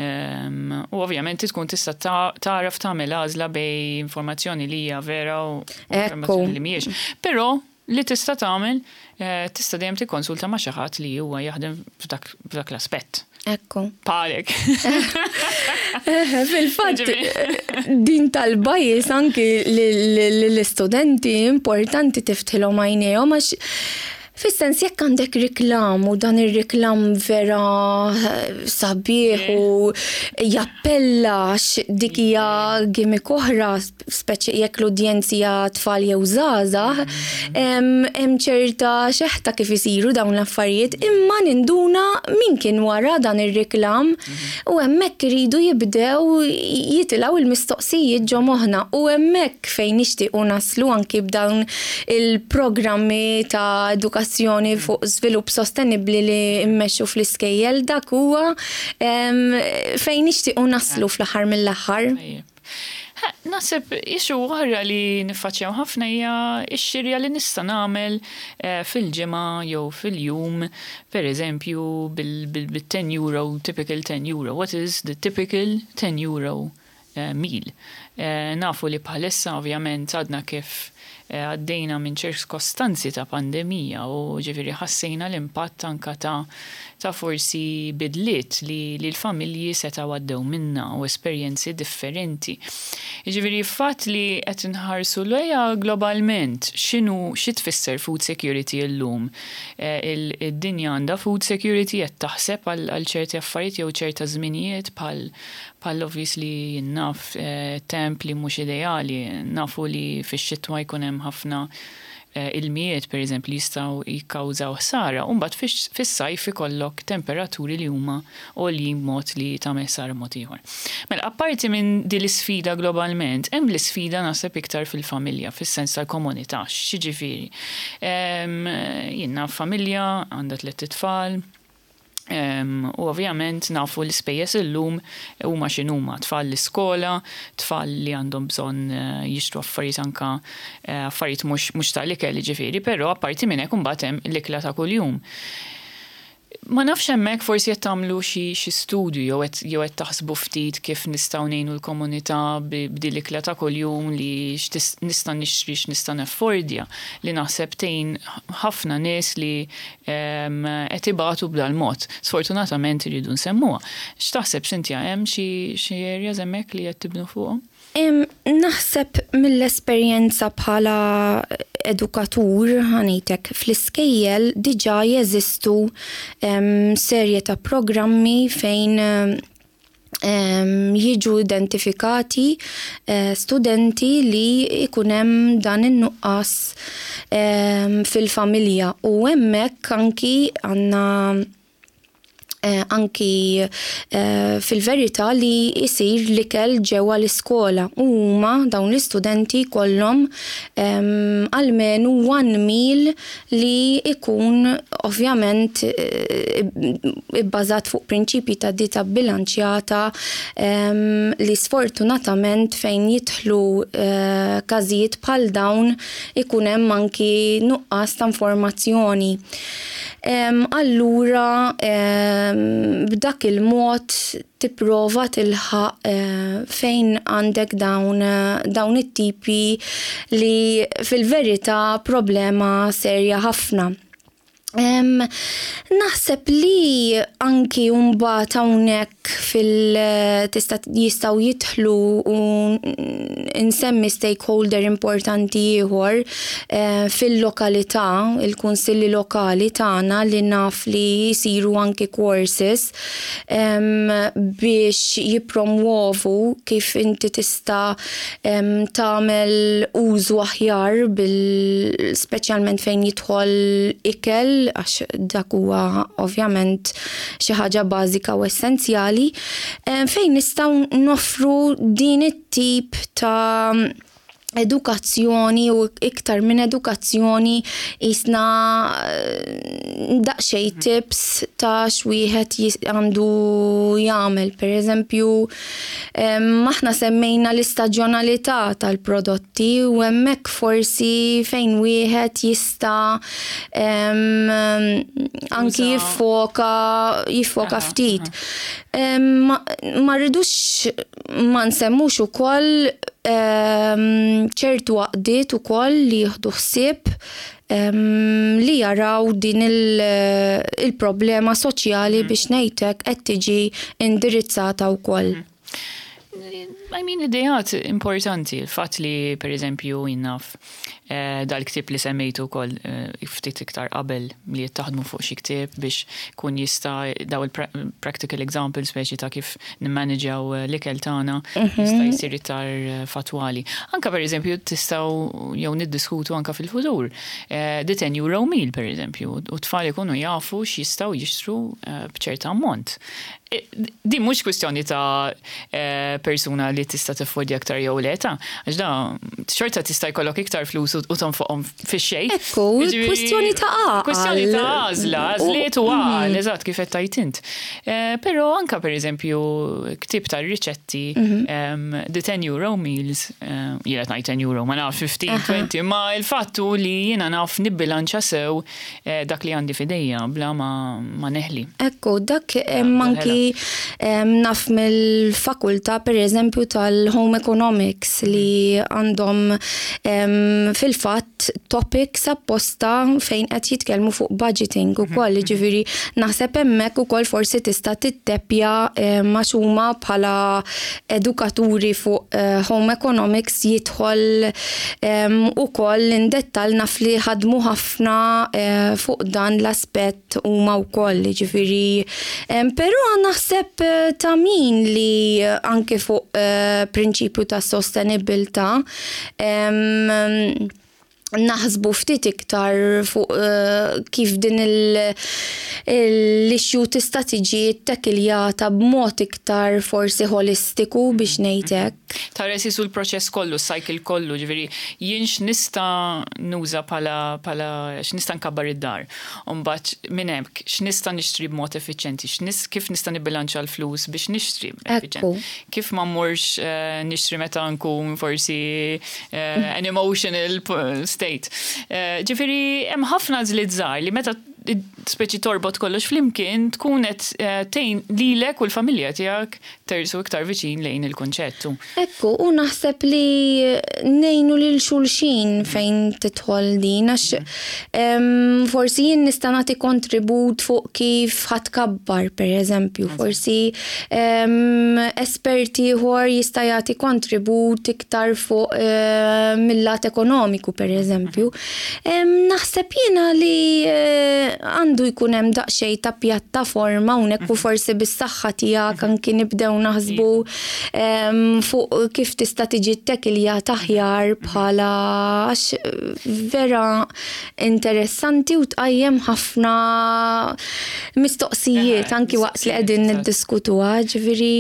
U ovvjament tkun tista' tagħraf tagħmel għażla bejn informazzjoni li hija vera u informazzjoni li mhijiex. Però li tista' tagħmel, eh, tista' dejjem tikkonsulta ma' xi ħadd li huwa jaħdem f'dak l-aspett. Ekku. Palek. Fil-fatt, din tal-bias anki l-istudenti importanti tiftħilhom għajnejhom, għax fis-sens jekk għandek riklam u dan ir-riklam vera eh, sabiħ u jappella, għax dik hija gimmick oħra, speċi jekk l-udjenzi hija tfal jew żgħażagħ, hemm ċerta xeħta kif isiru dawn l-affarijiet, imma ninduna min kien wara dan ir-riklam u hemmhekk iridu jibdew jitilgħu il-mistoqsijiet ġo moħħna u hemmhekk fejn nixtiequ naslu anki b'dawn il-programmi ta' edukazzjoni fuq żvilupp sostenibbli li mmexxu fl-iskejjel. Dak huwa fejn nixtiequ naslu fl-aħħar mill-aħħar. Naħseb issue oħra li niffaċċjaw ħafna hija x-xirja li nista' nagħmel eh, fil-ġimgħa jew fil-jum, per eżempju bil-ten euro, typical ten euro. What is the typical ten euro eh, meal. Eh, nafu li bħalissa ovvjament għadna kif eh, għaddejna minn ċirkostanzi ta' pandemija u ġifieri ħassejna l-impatt anka ta' ta' forsi bidliet li, li l-familji setgħu għaddew minna u esperjenzi differenti. Ġifieri fatt li qed nħarsu lejha globalment, x'inhu xi tfisser food security llum? Eh, id-dinja għandha food security, qed taħseb għal ċerti affarijiet jew ċerta żminijiet bħal bħal obviously naf eh, temp li mhux ideali, nafu li fix-xitwa jkun hemm ħafna eh, ilmijiet, per eżempju, li jistgħu jikkawżaw ħsara, u mbagħad fis-sajf ikollok temperaturi li huma għoljin b'mod li tagħmel ħsara mod ieħor. Mela, apparti minn din l-isfida globalment, hemm l-isfida naħseb iktar fil-familja, fis-sens tal-komunità. X'jiġifieri? Jiena familja għandha tliet itfal, u ovvjament nafu l-ispejjeż illum huma x'inhuma: tfal l-iskola, tfal li għandhom bżonn eh, jixtru affarijiet, anka eh, affarijiet mhux tal-ikel ġifieri, però apparti minn hekk imbagħad hemm l-ikla ta' kuljum. Ma nafx hemmhekk forsi qed tagħmlu xi xi studju jew qed jew qed taħsbu ftit kif nistgħu ngħinu l-komunità b'din l-ikla ta' kuljum li nista' nixtri, x'nista' naffordja, li naħseb tgħin ħafna nies li qed ibatu b'dal-mod. Sfortunatament iridu nsemmuha. X'taħseb, Cynthia, hemm xi xi areas hemmhekk li qed tibnu fuqhom? Naħseb mill-esperjenza bħala edukatur, ħa ngħidlek, fl-iskejjel diġà jeżistu serje ta' programmi fejn jiġu identifikati eh, studenti li ikun hemm dan in-nuqqas fil-familja u hemmhekk anki għandna eh, anki eh, fil-verità li jisir l-ikel ġewwa l-iskola u huma dawn l-istudenti kollhom almenu one meal li ikun ovvjament eh, ibbażat fuq prinċipji ta' dieta bilanċjata, li sfortunatament fejn jidħlu eh, każijiet bħal dawn ikun hemm anki nuqqas ta' informazzjoni. Allura b'dak il-mod tipprova tilħaq eh, fejn għandek dawn dawn it-tipi li fil-verità problema serja ħafna. Naħseb li anki mbagħad hawnhekk fil tista' jistgħu jidħlu u nsemmi stakeholder importanti ieħor eh, fil-lokalità, il-kunsilli lokali tagħna, li naf li jsiru anki courses biex jippromuovu kif inti tista' tagħmel użu aħjar bil speċjalment fejn jidħol ikel, għax dak huwa ovvjament xi ħaġa bażika u essenzjali, fejn nistgħu noffru din it-tip ta' edukazzjoni u iktar minn edukazzjoni, jisna eh, daqsxejn tips ta' x'wieħed għandu jagħmel. Per eżempju, aħna semmejna l-istaġjonalità tal-prodotti u hemmhekk forsi fejn wieħed jista' anki jiffoka jiffoka ftit. Ma rridux ma nsemmux ukoll ċertu għaqdiet ukoll li jieħdu ħsieb li jaraw din il-problema soċjali, mm. biex ngħidlek, qed tiġi indirizzata wkoll. Mm. I mean, ideat importanti, il-fat li, per eżempju, jien naf eh, dal-ktib li semmejtu kol eh, ftit iktar qabel li jittaħdmu fuq xi ktib biex kun jista' daw il-practical examples speċi ta' kif nimmanagjaw eh, l-ikel tagħna mhm. jista' jsir iktar fatwali. Anka, per eżempju, tistgħu jew niddiskutu anka fil-futur. The ten euro meal, per eżempju, u tfal ikunu jafu x'jistgħu jixtru b'ċerta ammont. Din mhux kwistjoni ta' persuna li tista' tiffordja aktar jew le ta', għax da xorta tista' jkollok iktar flus u tonfoqhom fix-xejn. Ekku, kwistjoni ta' għaqal. Kwistjoni ta' għażla, għażliet u għaqal, mhm. eżatt kif qed tgħid int. Eh, però anka, per eżempju, ktib ta' riċetti, mhm. the ten euro meals, eh, jiena ngħid ten euro, ma naf fifteen, twenty, ma il-fattu li jiena naf nibbilanċa sew eh, dak li għandi f'idejja bla ma neħli. Ekku, dak manki Naf mill-fakultà, per eżempju, tal-Home Economics li għandhom fil-fatt topics apposta fejn qed jitkellmu fuq budgeting ukoll, mhm. ġifieri naħseb hemmhekk ukoll forsi tista' tittepja ma' huma bħala edukaturi fuq eh, Home Economics jidħol ukoll in dettal. Naf li ħadmu ħafna eh, fuq dan l-aspett huma wkoll, ġifieri però naħseb eh, ta' min li anke fuq eh, prinċipju ta' sostenibilità naħsbu ftit iktar fuq uh, kif din l-issue tista' tiġi ttekiljata b'mod iktar forsi holistiku, biex ngħid hekk. Tara sisu l-proċess kollu, cycle kollu, ġifieri jien x'nista' nuża pala pala x'nista' nkabbar id-dar. Umbagħad minn hekk x'nista' nixtri b'mod effiċjenti, kif nista' nibbilanċa l-flus biex nixtri effiċjenti. Kif ma mmurx uh, nixtri meta nkun forsi uh, an emotional state. Eh, ġifieri, hemm ħafna għażliet żgħar li meta speċi torbot kollox flimkien tkun qed eh, tgħin lilek u l-familja tiegħek tersqu iktar viċin lejn il-kunċettu. Ekku, u naħseb li ngħinu lil xulxin fejn tidħol din, għax em, forsi jien nista' nagħti kontribut fuq kif ħa tkabbar, per eżempju, forsi em, esperti ieħor jista' jagħti kontribut iktar fuq eh, mill-lat ekonomiku, per eżempju. Em, Naħseb jiena li eh, għandu jkun hemm daqsxejn ta' pjattaforma hawnhekk u forsi bis-saħħa tiegħek anki nibdew naħsbu em, fuq kif tista' tiġi ttekiljata aħjar bħala, għax vera interessanti u tqajjem ħafna mistoqsijiet Eh, anki waqt li qegħdin mistoqsijiet, niddiskutuha, ġifieri.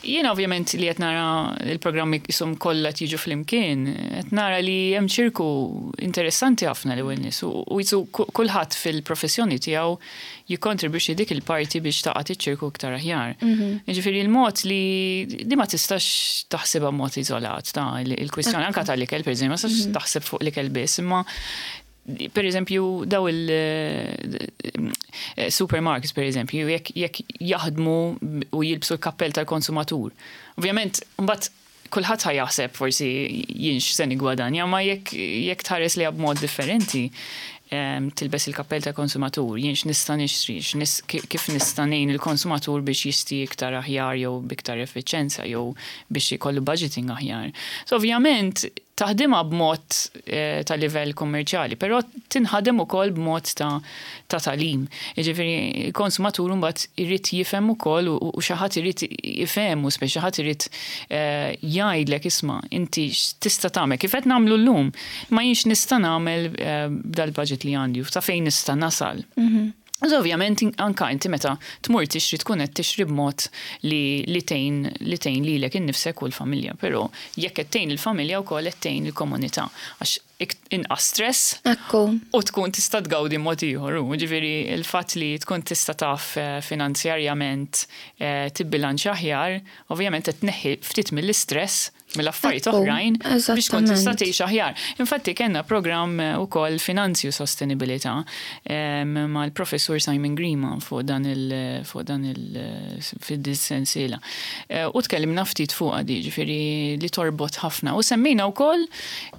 Jiena ovvjament li qed nara il-programmi jisom kollha jiġu flimkien, qed nara li hemm ċirku interessanti ħafna li nies u u jisu kulħadd fil-professjoni tiegħu jikkontribwixxi dik il-parti biex taqgħod iċ-ċirku iktar aħjar. Jiġifieri il-mod li li ma tistax taħsibha b'mod iżolat ta' il-kwistjoni anka tal-ikel, pereżempju, ma tistax taħseb fuq l-ikel biss, imma per eżempju, daw il-supermarkets, per eżempju, jekk jekk jaħdmu u jilbsu l-kappell tal-konsumatur. Ovvjament, mbagħad kulħadd ħa jaħseb forsi jien x'se nigwadanja, ma jekk jekk tħares li b'mod differenti, em, tilbes il-kappell tal-konsumatur, jien x'nista' nixtri, x'nis- kif nista' ngħin il-konsumatur biex jixtri iktar aħjar jew biktar effiċenza jew biex ikollu budgeting aħjar. So ovvjament taħdimha b'mod eh, ta' livell kommerċjali, però tinħadem ukoll b'mod ta' ta' tagħlim. Jiġifieri il-konsumatur mbagħad irid jifhem ukoll u u xi ħadd irid jifhem u speċi xi ħadd irid eh, jgħidlek, "Isma', inti x'tista' tagħmel kif qed nagħmlu llum, ma jienx nista' nagħmel eh, b'dal-budget li għandi u ta' fejn nista' nasal." So, ovvjament anka inti meta tmur tixtri tkun qed tixtri b'mod li li tgħin li tgħin lilek innifsek u l-familja, però jekk qed tgħin il-familja wkoll qed tgħin il-komunità għax inqas stress Ekku. u tkun tista' tgawdi mod ieħor. U ġifieri il-fatt li tkun tista' taf eh, finanzjarjament eh, tibbilanċ aħjar, ovvjament qed tneħħi ftit mill-istress mill-affarijiet Ekku, oħrajn biex tkun tista' eżattament. tgħix aħjar. Infatti kellna programm eh, ukoll finanzi u sostenibilità em, mal-professur Simon Grima fuq dan il fuq dan il fid-sensiela. Eh, U tkellimna ftit fuq għadi, ġifieri li torbot ħafna. U semmejna wkoll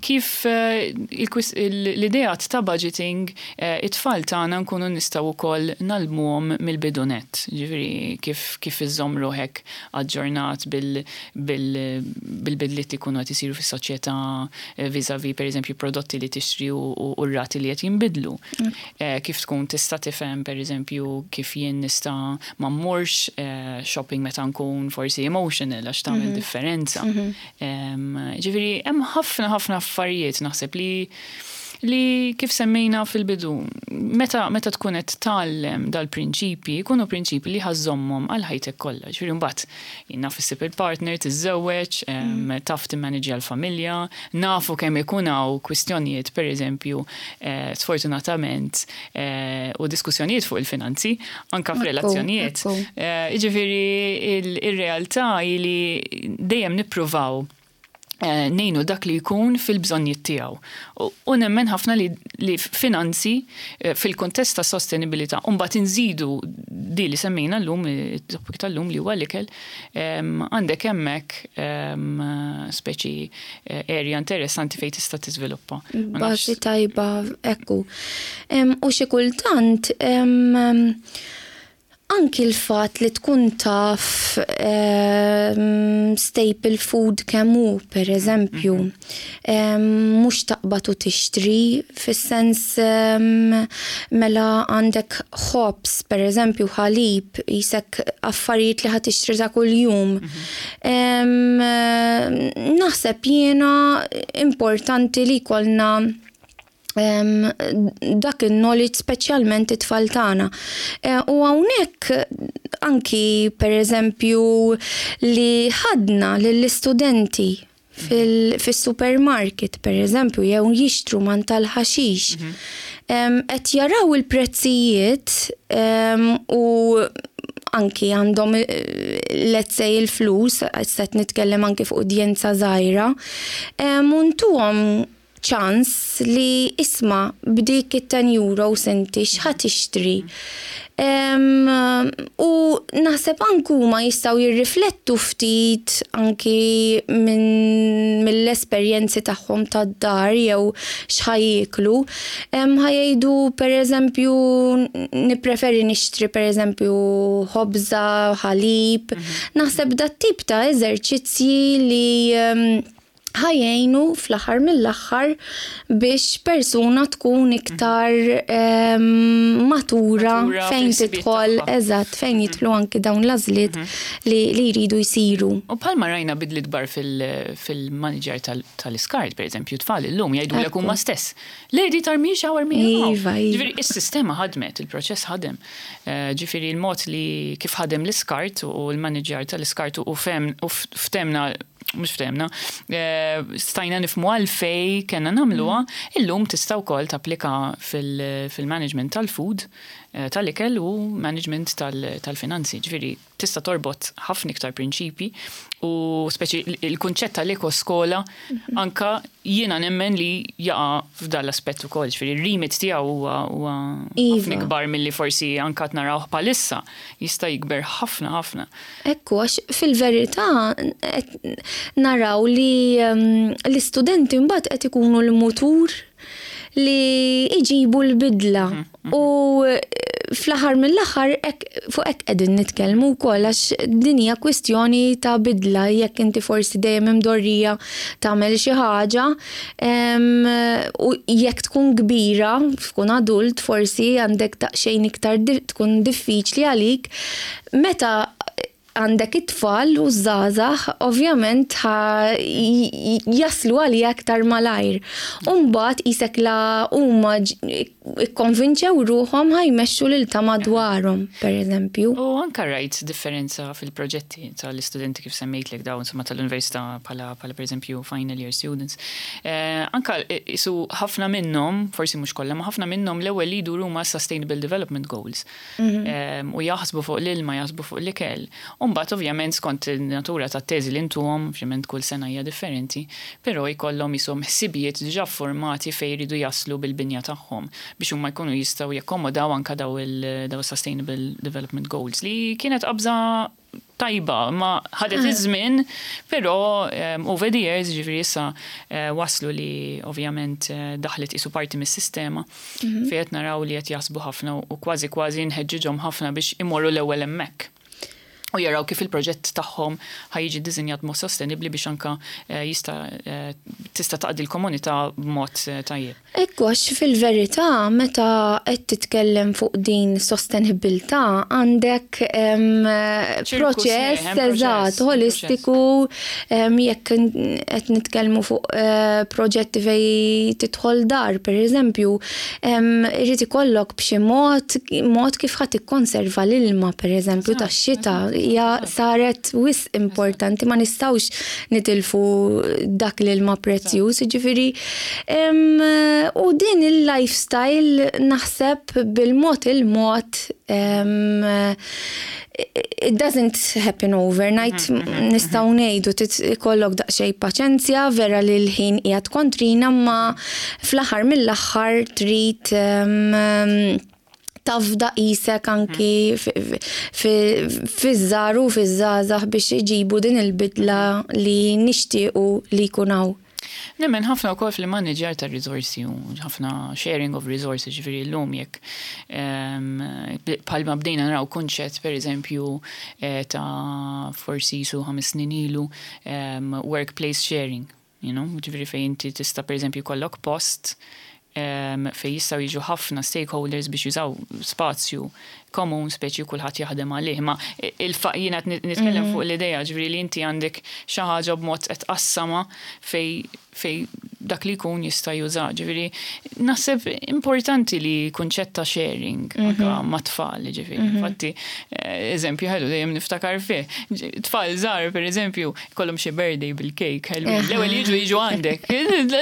kif eh, il-kwis- il- l-idea ta' budgeting eh, it-tfal tagħna nkunu nistgħu wkoll ngħallmuhom mill-bidu nett. Ġifieri kif kif iżżomm ruħek aġġornat bil- bil- bil-bidliet li jkunu qed isiru fis-soċjetà eh, vis-à-vis, pereżempju, prodotti li tixtri u u- u r-rati li qed jinbidlu. Eh, Kif tkun tista' tifhem, pereżempju, kif jien nista' ma mmurx eh, shopping meta nkun forsi emotional għax tagħmel differenza. Em, Ġifieri hemm ħafna ħafna affarijiet naħseb li li kif semmejna fil-bidu, meta, meta tkun qed tgħallem dal-prinċipi, jkunu prinċipi li ħa żżommhom għal ħajtek kollha. Ġifieri mbagħad jien naf issib il-partner, tiżżewweġ, em, taf timmanġja l-familja, nafu kemm ikun hawn kwistjonijiet, pereżempju, eh, sfortunatament, eh, u diskussjonijiet fuq il-finanzi, anka Ekku, f'relazzjonijiet. ekku. Eh, Jiġifieri il- ir-realtà hi li dejjem nippruvaw eh, ngħinu dak li jkun fil-bżonnijiet tiegħu. U nemmen ħafna li, li finanzi eh, fil-kontest ta' sostenibilità, u mbagħad inżidu di li semmejna llum, it-topic tal-lum li huwa l-ikel, għandek hemmhekk speċi eh, area interessanti fejn tista' tiżviluppa. Bażi tajba, ekku. U xi kultant anki l-fat li tkun taf um, staple food kemm hu, per eżempju, um, mhux taqbad u tixtri, fis-sens um, mela għandek ħobż, per eżempju, ħalib, jisek affarijiet li ħa tixtri ta' kuljum. Um, naħseb jiena importanti li jkollna dak il-knowledge, speċjalment it-tfal tagħna. E, u hawnhekk anki, per eżempju, li ħadna lill-istudenti fil-supermarket, per eżempju, jew jixtru man tal-ħaxix. Mhm. Qed jaraw il-prezzijiet u anki għandhom, eh, let's say, il-flus, qed nitkellem anki fuq udjenza żgħira, u ntuhom ċans li, "Isma', b'dik it-ten euro inti x'ħa tixtri?" Um, u naħseb anku ma jistgħu jirriflettu ftit anki minn mill-esperjenzi tagħhom tad-dar jew x'ħa jieklu. Um, ħa jgħidu, per eżempju, "Nippreferi nixtri, per eżempju, ħobża, ħalib." Mm -hmm. Naħseb dat tip ta' eżerċizzji li um, ħa jgħinu fl-aħħar mill-aħħar biex persuna tkun iktar um, matura fejn tidħol, eżatt, fejn mhm. jidħlu anki dawn l-għażliet mhm. li, li jridu jsiru. U bħalma rajna bidliet kbar fil-manager tal-iskart, per eżempju, tfal illum jgħidu l huma stess: "Lady, tarmix hawn, armi." Iva, iva. Ġifieri, is-sistema ħadmet, il-proċess ħadem. Eh, ġifieri, il-mod li kif ħadem l-iskart u l-manager tal-iskart u ftemna, mhux ftemna, eh, stajna nifhmu għalfejn kellna nagħmluha, mm. illum tista' wkoll tapplika fil-management tal-food, eh, tal-ikel u management tal-finanzi. Ġifieri, tista' torbot ħafna iktar prinċipi u speċi il-kunċett tal-eko skola mhm. anka jiena nemmen li jaqa' f'dan l-aspett ukoll, ġifieri ir-remit tiegħu huwa ħafna iva. ikbar milli forsi anka narawh bħalissa, jista' jikber ħafna ħafna. Ekku, għax fil-verità naraw li um, l-istudenti mbagħad qed ikunu l-mutur li iġibu l-bidla. Mhm, mhm. U fl-aħħar mill-aħħar fuq hekk qegħdin nitkellmu wkoll, għax din hija kwistjoni ta' bidla. Jekk inti forsi dejjem imdorrija tagħmel xi ħaġa u jekk tkun kbira, tkun adult, forsi għandek daqsxejn iktar tkun diffiċli għalik. Meta għandek it-tfal u żgħażagħ, ovvjament jaslu għalija aktar malajr. Umbagħad qisek la huma ikkonvinċew ruħhom, ħa jmexxu lil ta' madwarhom, per eżempju. U anka rajt differenza fil-proġetti tal-istudenti kif semmejtlek dawn, insomma, tal-università, bħala per eżempju final year students. Eh, anka isu ħafna minnhom, forsi mhux kollha, ma ħafna minnhom l-ewwel li jduru ma' Sustainable Development Goals. Mhm. U jaħsbu fuq l-ilma, jaħsbu fuq l-ikel. Umbagħad, ovvjament, skont natura ta' teżi li ntuhom, ovvjament kull sena hija differenti, però jkollhom jisom ħsibijiet diġà formati fejn jridu jaslu bil-binja tagħhom biex huma jkunu jistgħu jakkomodaw anka daw il-daw Sustainable Development Goals, li kienet qabża tajba, ma ħadet ah. iż-żmien, però um, over the years, ġifieri issa uh, waslu li ovvjament uh, daħlet isu parti mis-sistema mm -hmm. fejn qed naraw li qed jaħsbu ħafna u kważi kważi nħeġġiġhom ħafna biex imorru l-ewwel hemmhekk u jaraw kif il-proġett tagħhom ħa jiġi ddisinjat mod sostenibli biex anka eh, jista' eh, tista' taqdi l-komunità b'mod eh, tajjeb. Ekku, għax fil-verità meta qed titkellem fuq din sostenibilità għandek proċess, eżatt, holistiku. Jekk qed nitkellmu fuq proġetti fej tidħol dar, per eżempju, irid ikollok b'xi mod mod kif ħadd tikkonserva l-ilma, per eżempju, tax-xita. Hija saret wisq importanti, ma nistgħux nitilfu dak l-ilma prezzjuż, ġifieri. U din il-lifestyle naħseb bil-mod il-mod, it doesn't happen overnight, mhm, mhm, nistgħu mhm. ngħidu ikollok daqsxejn paċenzja, vera li l-ħin qiegħed kontrina, ma fl-aħħar mill-aħħar trid tafda qisek anki fiż-żgħar u fiż-żgħażagħ biex iġibu din il-bidla li nixtiequ li jkun hawn. Nemmen ħafna wkoll fil-manager ta' risorsi u ħafna sharing of resources, ġifieri llum jekk bħalma bdejna naraw kunċett, per eżempju, eh, ta' forsi su ħames snin ilu, workplace sharing, you know, ġifieri fejn inti tista' per eżempju jkollok post fejn jistgħu jiġu ħafna stakeholders biex jużaw spazju komun, speċi kulħadd jaħdem għalih. Ma il jiena nitkellem mhm. fuq l-idea, ġifieri li inti għandek xi ħaġa b'mod qed tqassama fejn fejn dak li jkun jista' juża. Ġifieri naħseb importanti li kunċett ta' sharing mm -hmm. ma' tfal, ġifieri. Mm -hmm. Infatti, eh, eżempju ħelu dejjem niftakar fih. Tfal żgħar, per eżempju, kollhom xi birthday bil-cake, l-ewwel jiġu jiġu għandek.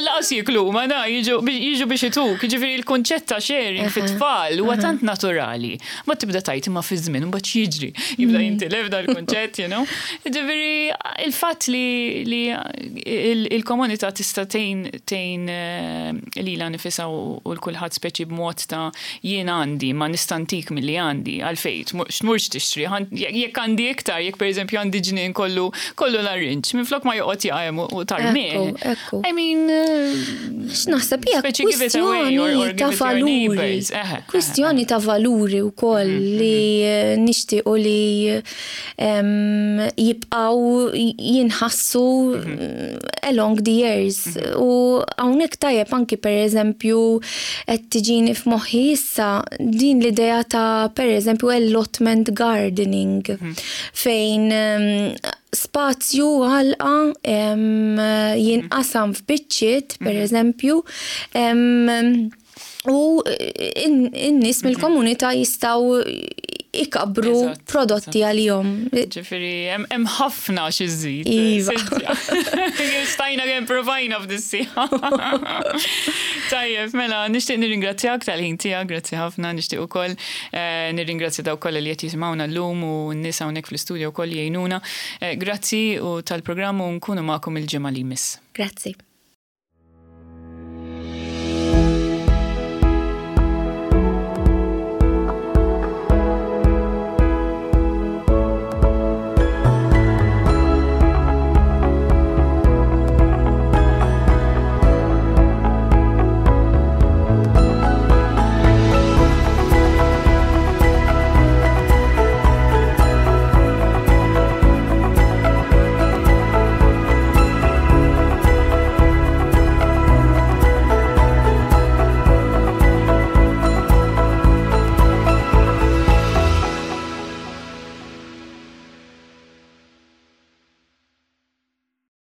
Lanqas jieklu, ma na jiġu biex ituk. Ġifieri il-kunċett ta' sharing fit-tfal huwa tant naturali. Ma tibda tajt imma fi żmien mbagħad jiġri. Jibda mm. jintilef dal-kunċett, you know. Ġifieri il-fatt li il-komunità tista' tgħin tgħin eh, lilha nfisha u l-kulħadd, speċi b'mod ta' jien għandi ma nista' ntik milli għandi, għalfejn x'tmurx tixtri jekk għandi iktar, jekk pereżempju għandi ġnien kollu kollu larinġ, minflok ma joqgħod jaqa' u tarmih. I mean, eh, x'naħseb hija kwistjoni ta' valuri. Kwistjoni ta' valuri wkoll mm-hmm. li eh, nixtiequ li jibqgħu jinħassu mm-hmm. along the years. Mm-hmm. U hawnhekk tajjeb anki, per eżempju, qed tiġini f'moħħi issa din l-idea ta', per eżempju, allotment gardening fejn spazju għalqa jinqasam f'biċċiet, per eżempju, u in-nies mill-komunità jistgħu ikabru prodotti għalihom. Ġifieri, hemm ħafna xi żid. Iva. Stajna kemm provajna f'dis-siegħa. Tajjeb, mela, nixtieq nirringrazzjak tal-ħin tiegħek, grazzi ħafna, nixtieq ukoll eh, nirringrazzja dawk kollha li qed jisimgħuna llum u n-nies hawnhekk fl-istudio wkoll jgħinuna. Eh, grazzi u tal-programm u nkunu magħkom il-ġimgħa li jmiss. Grazzi.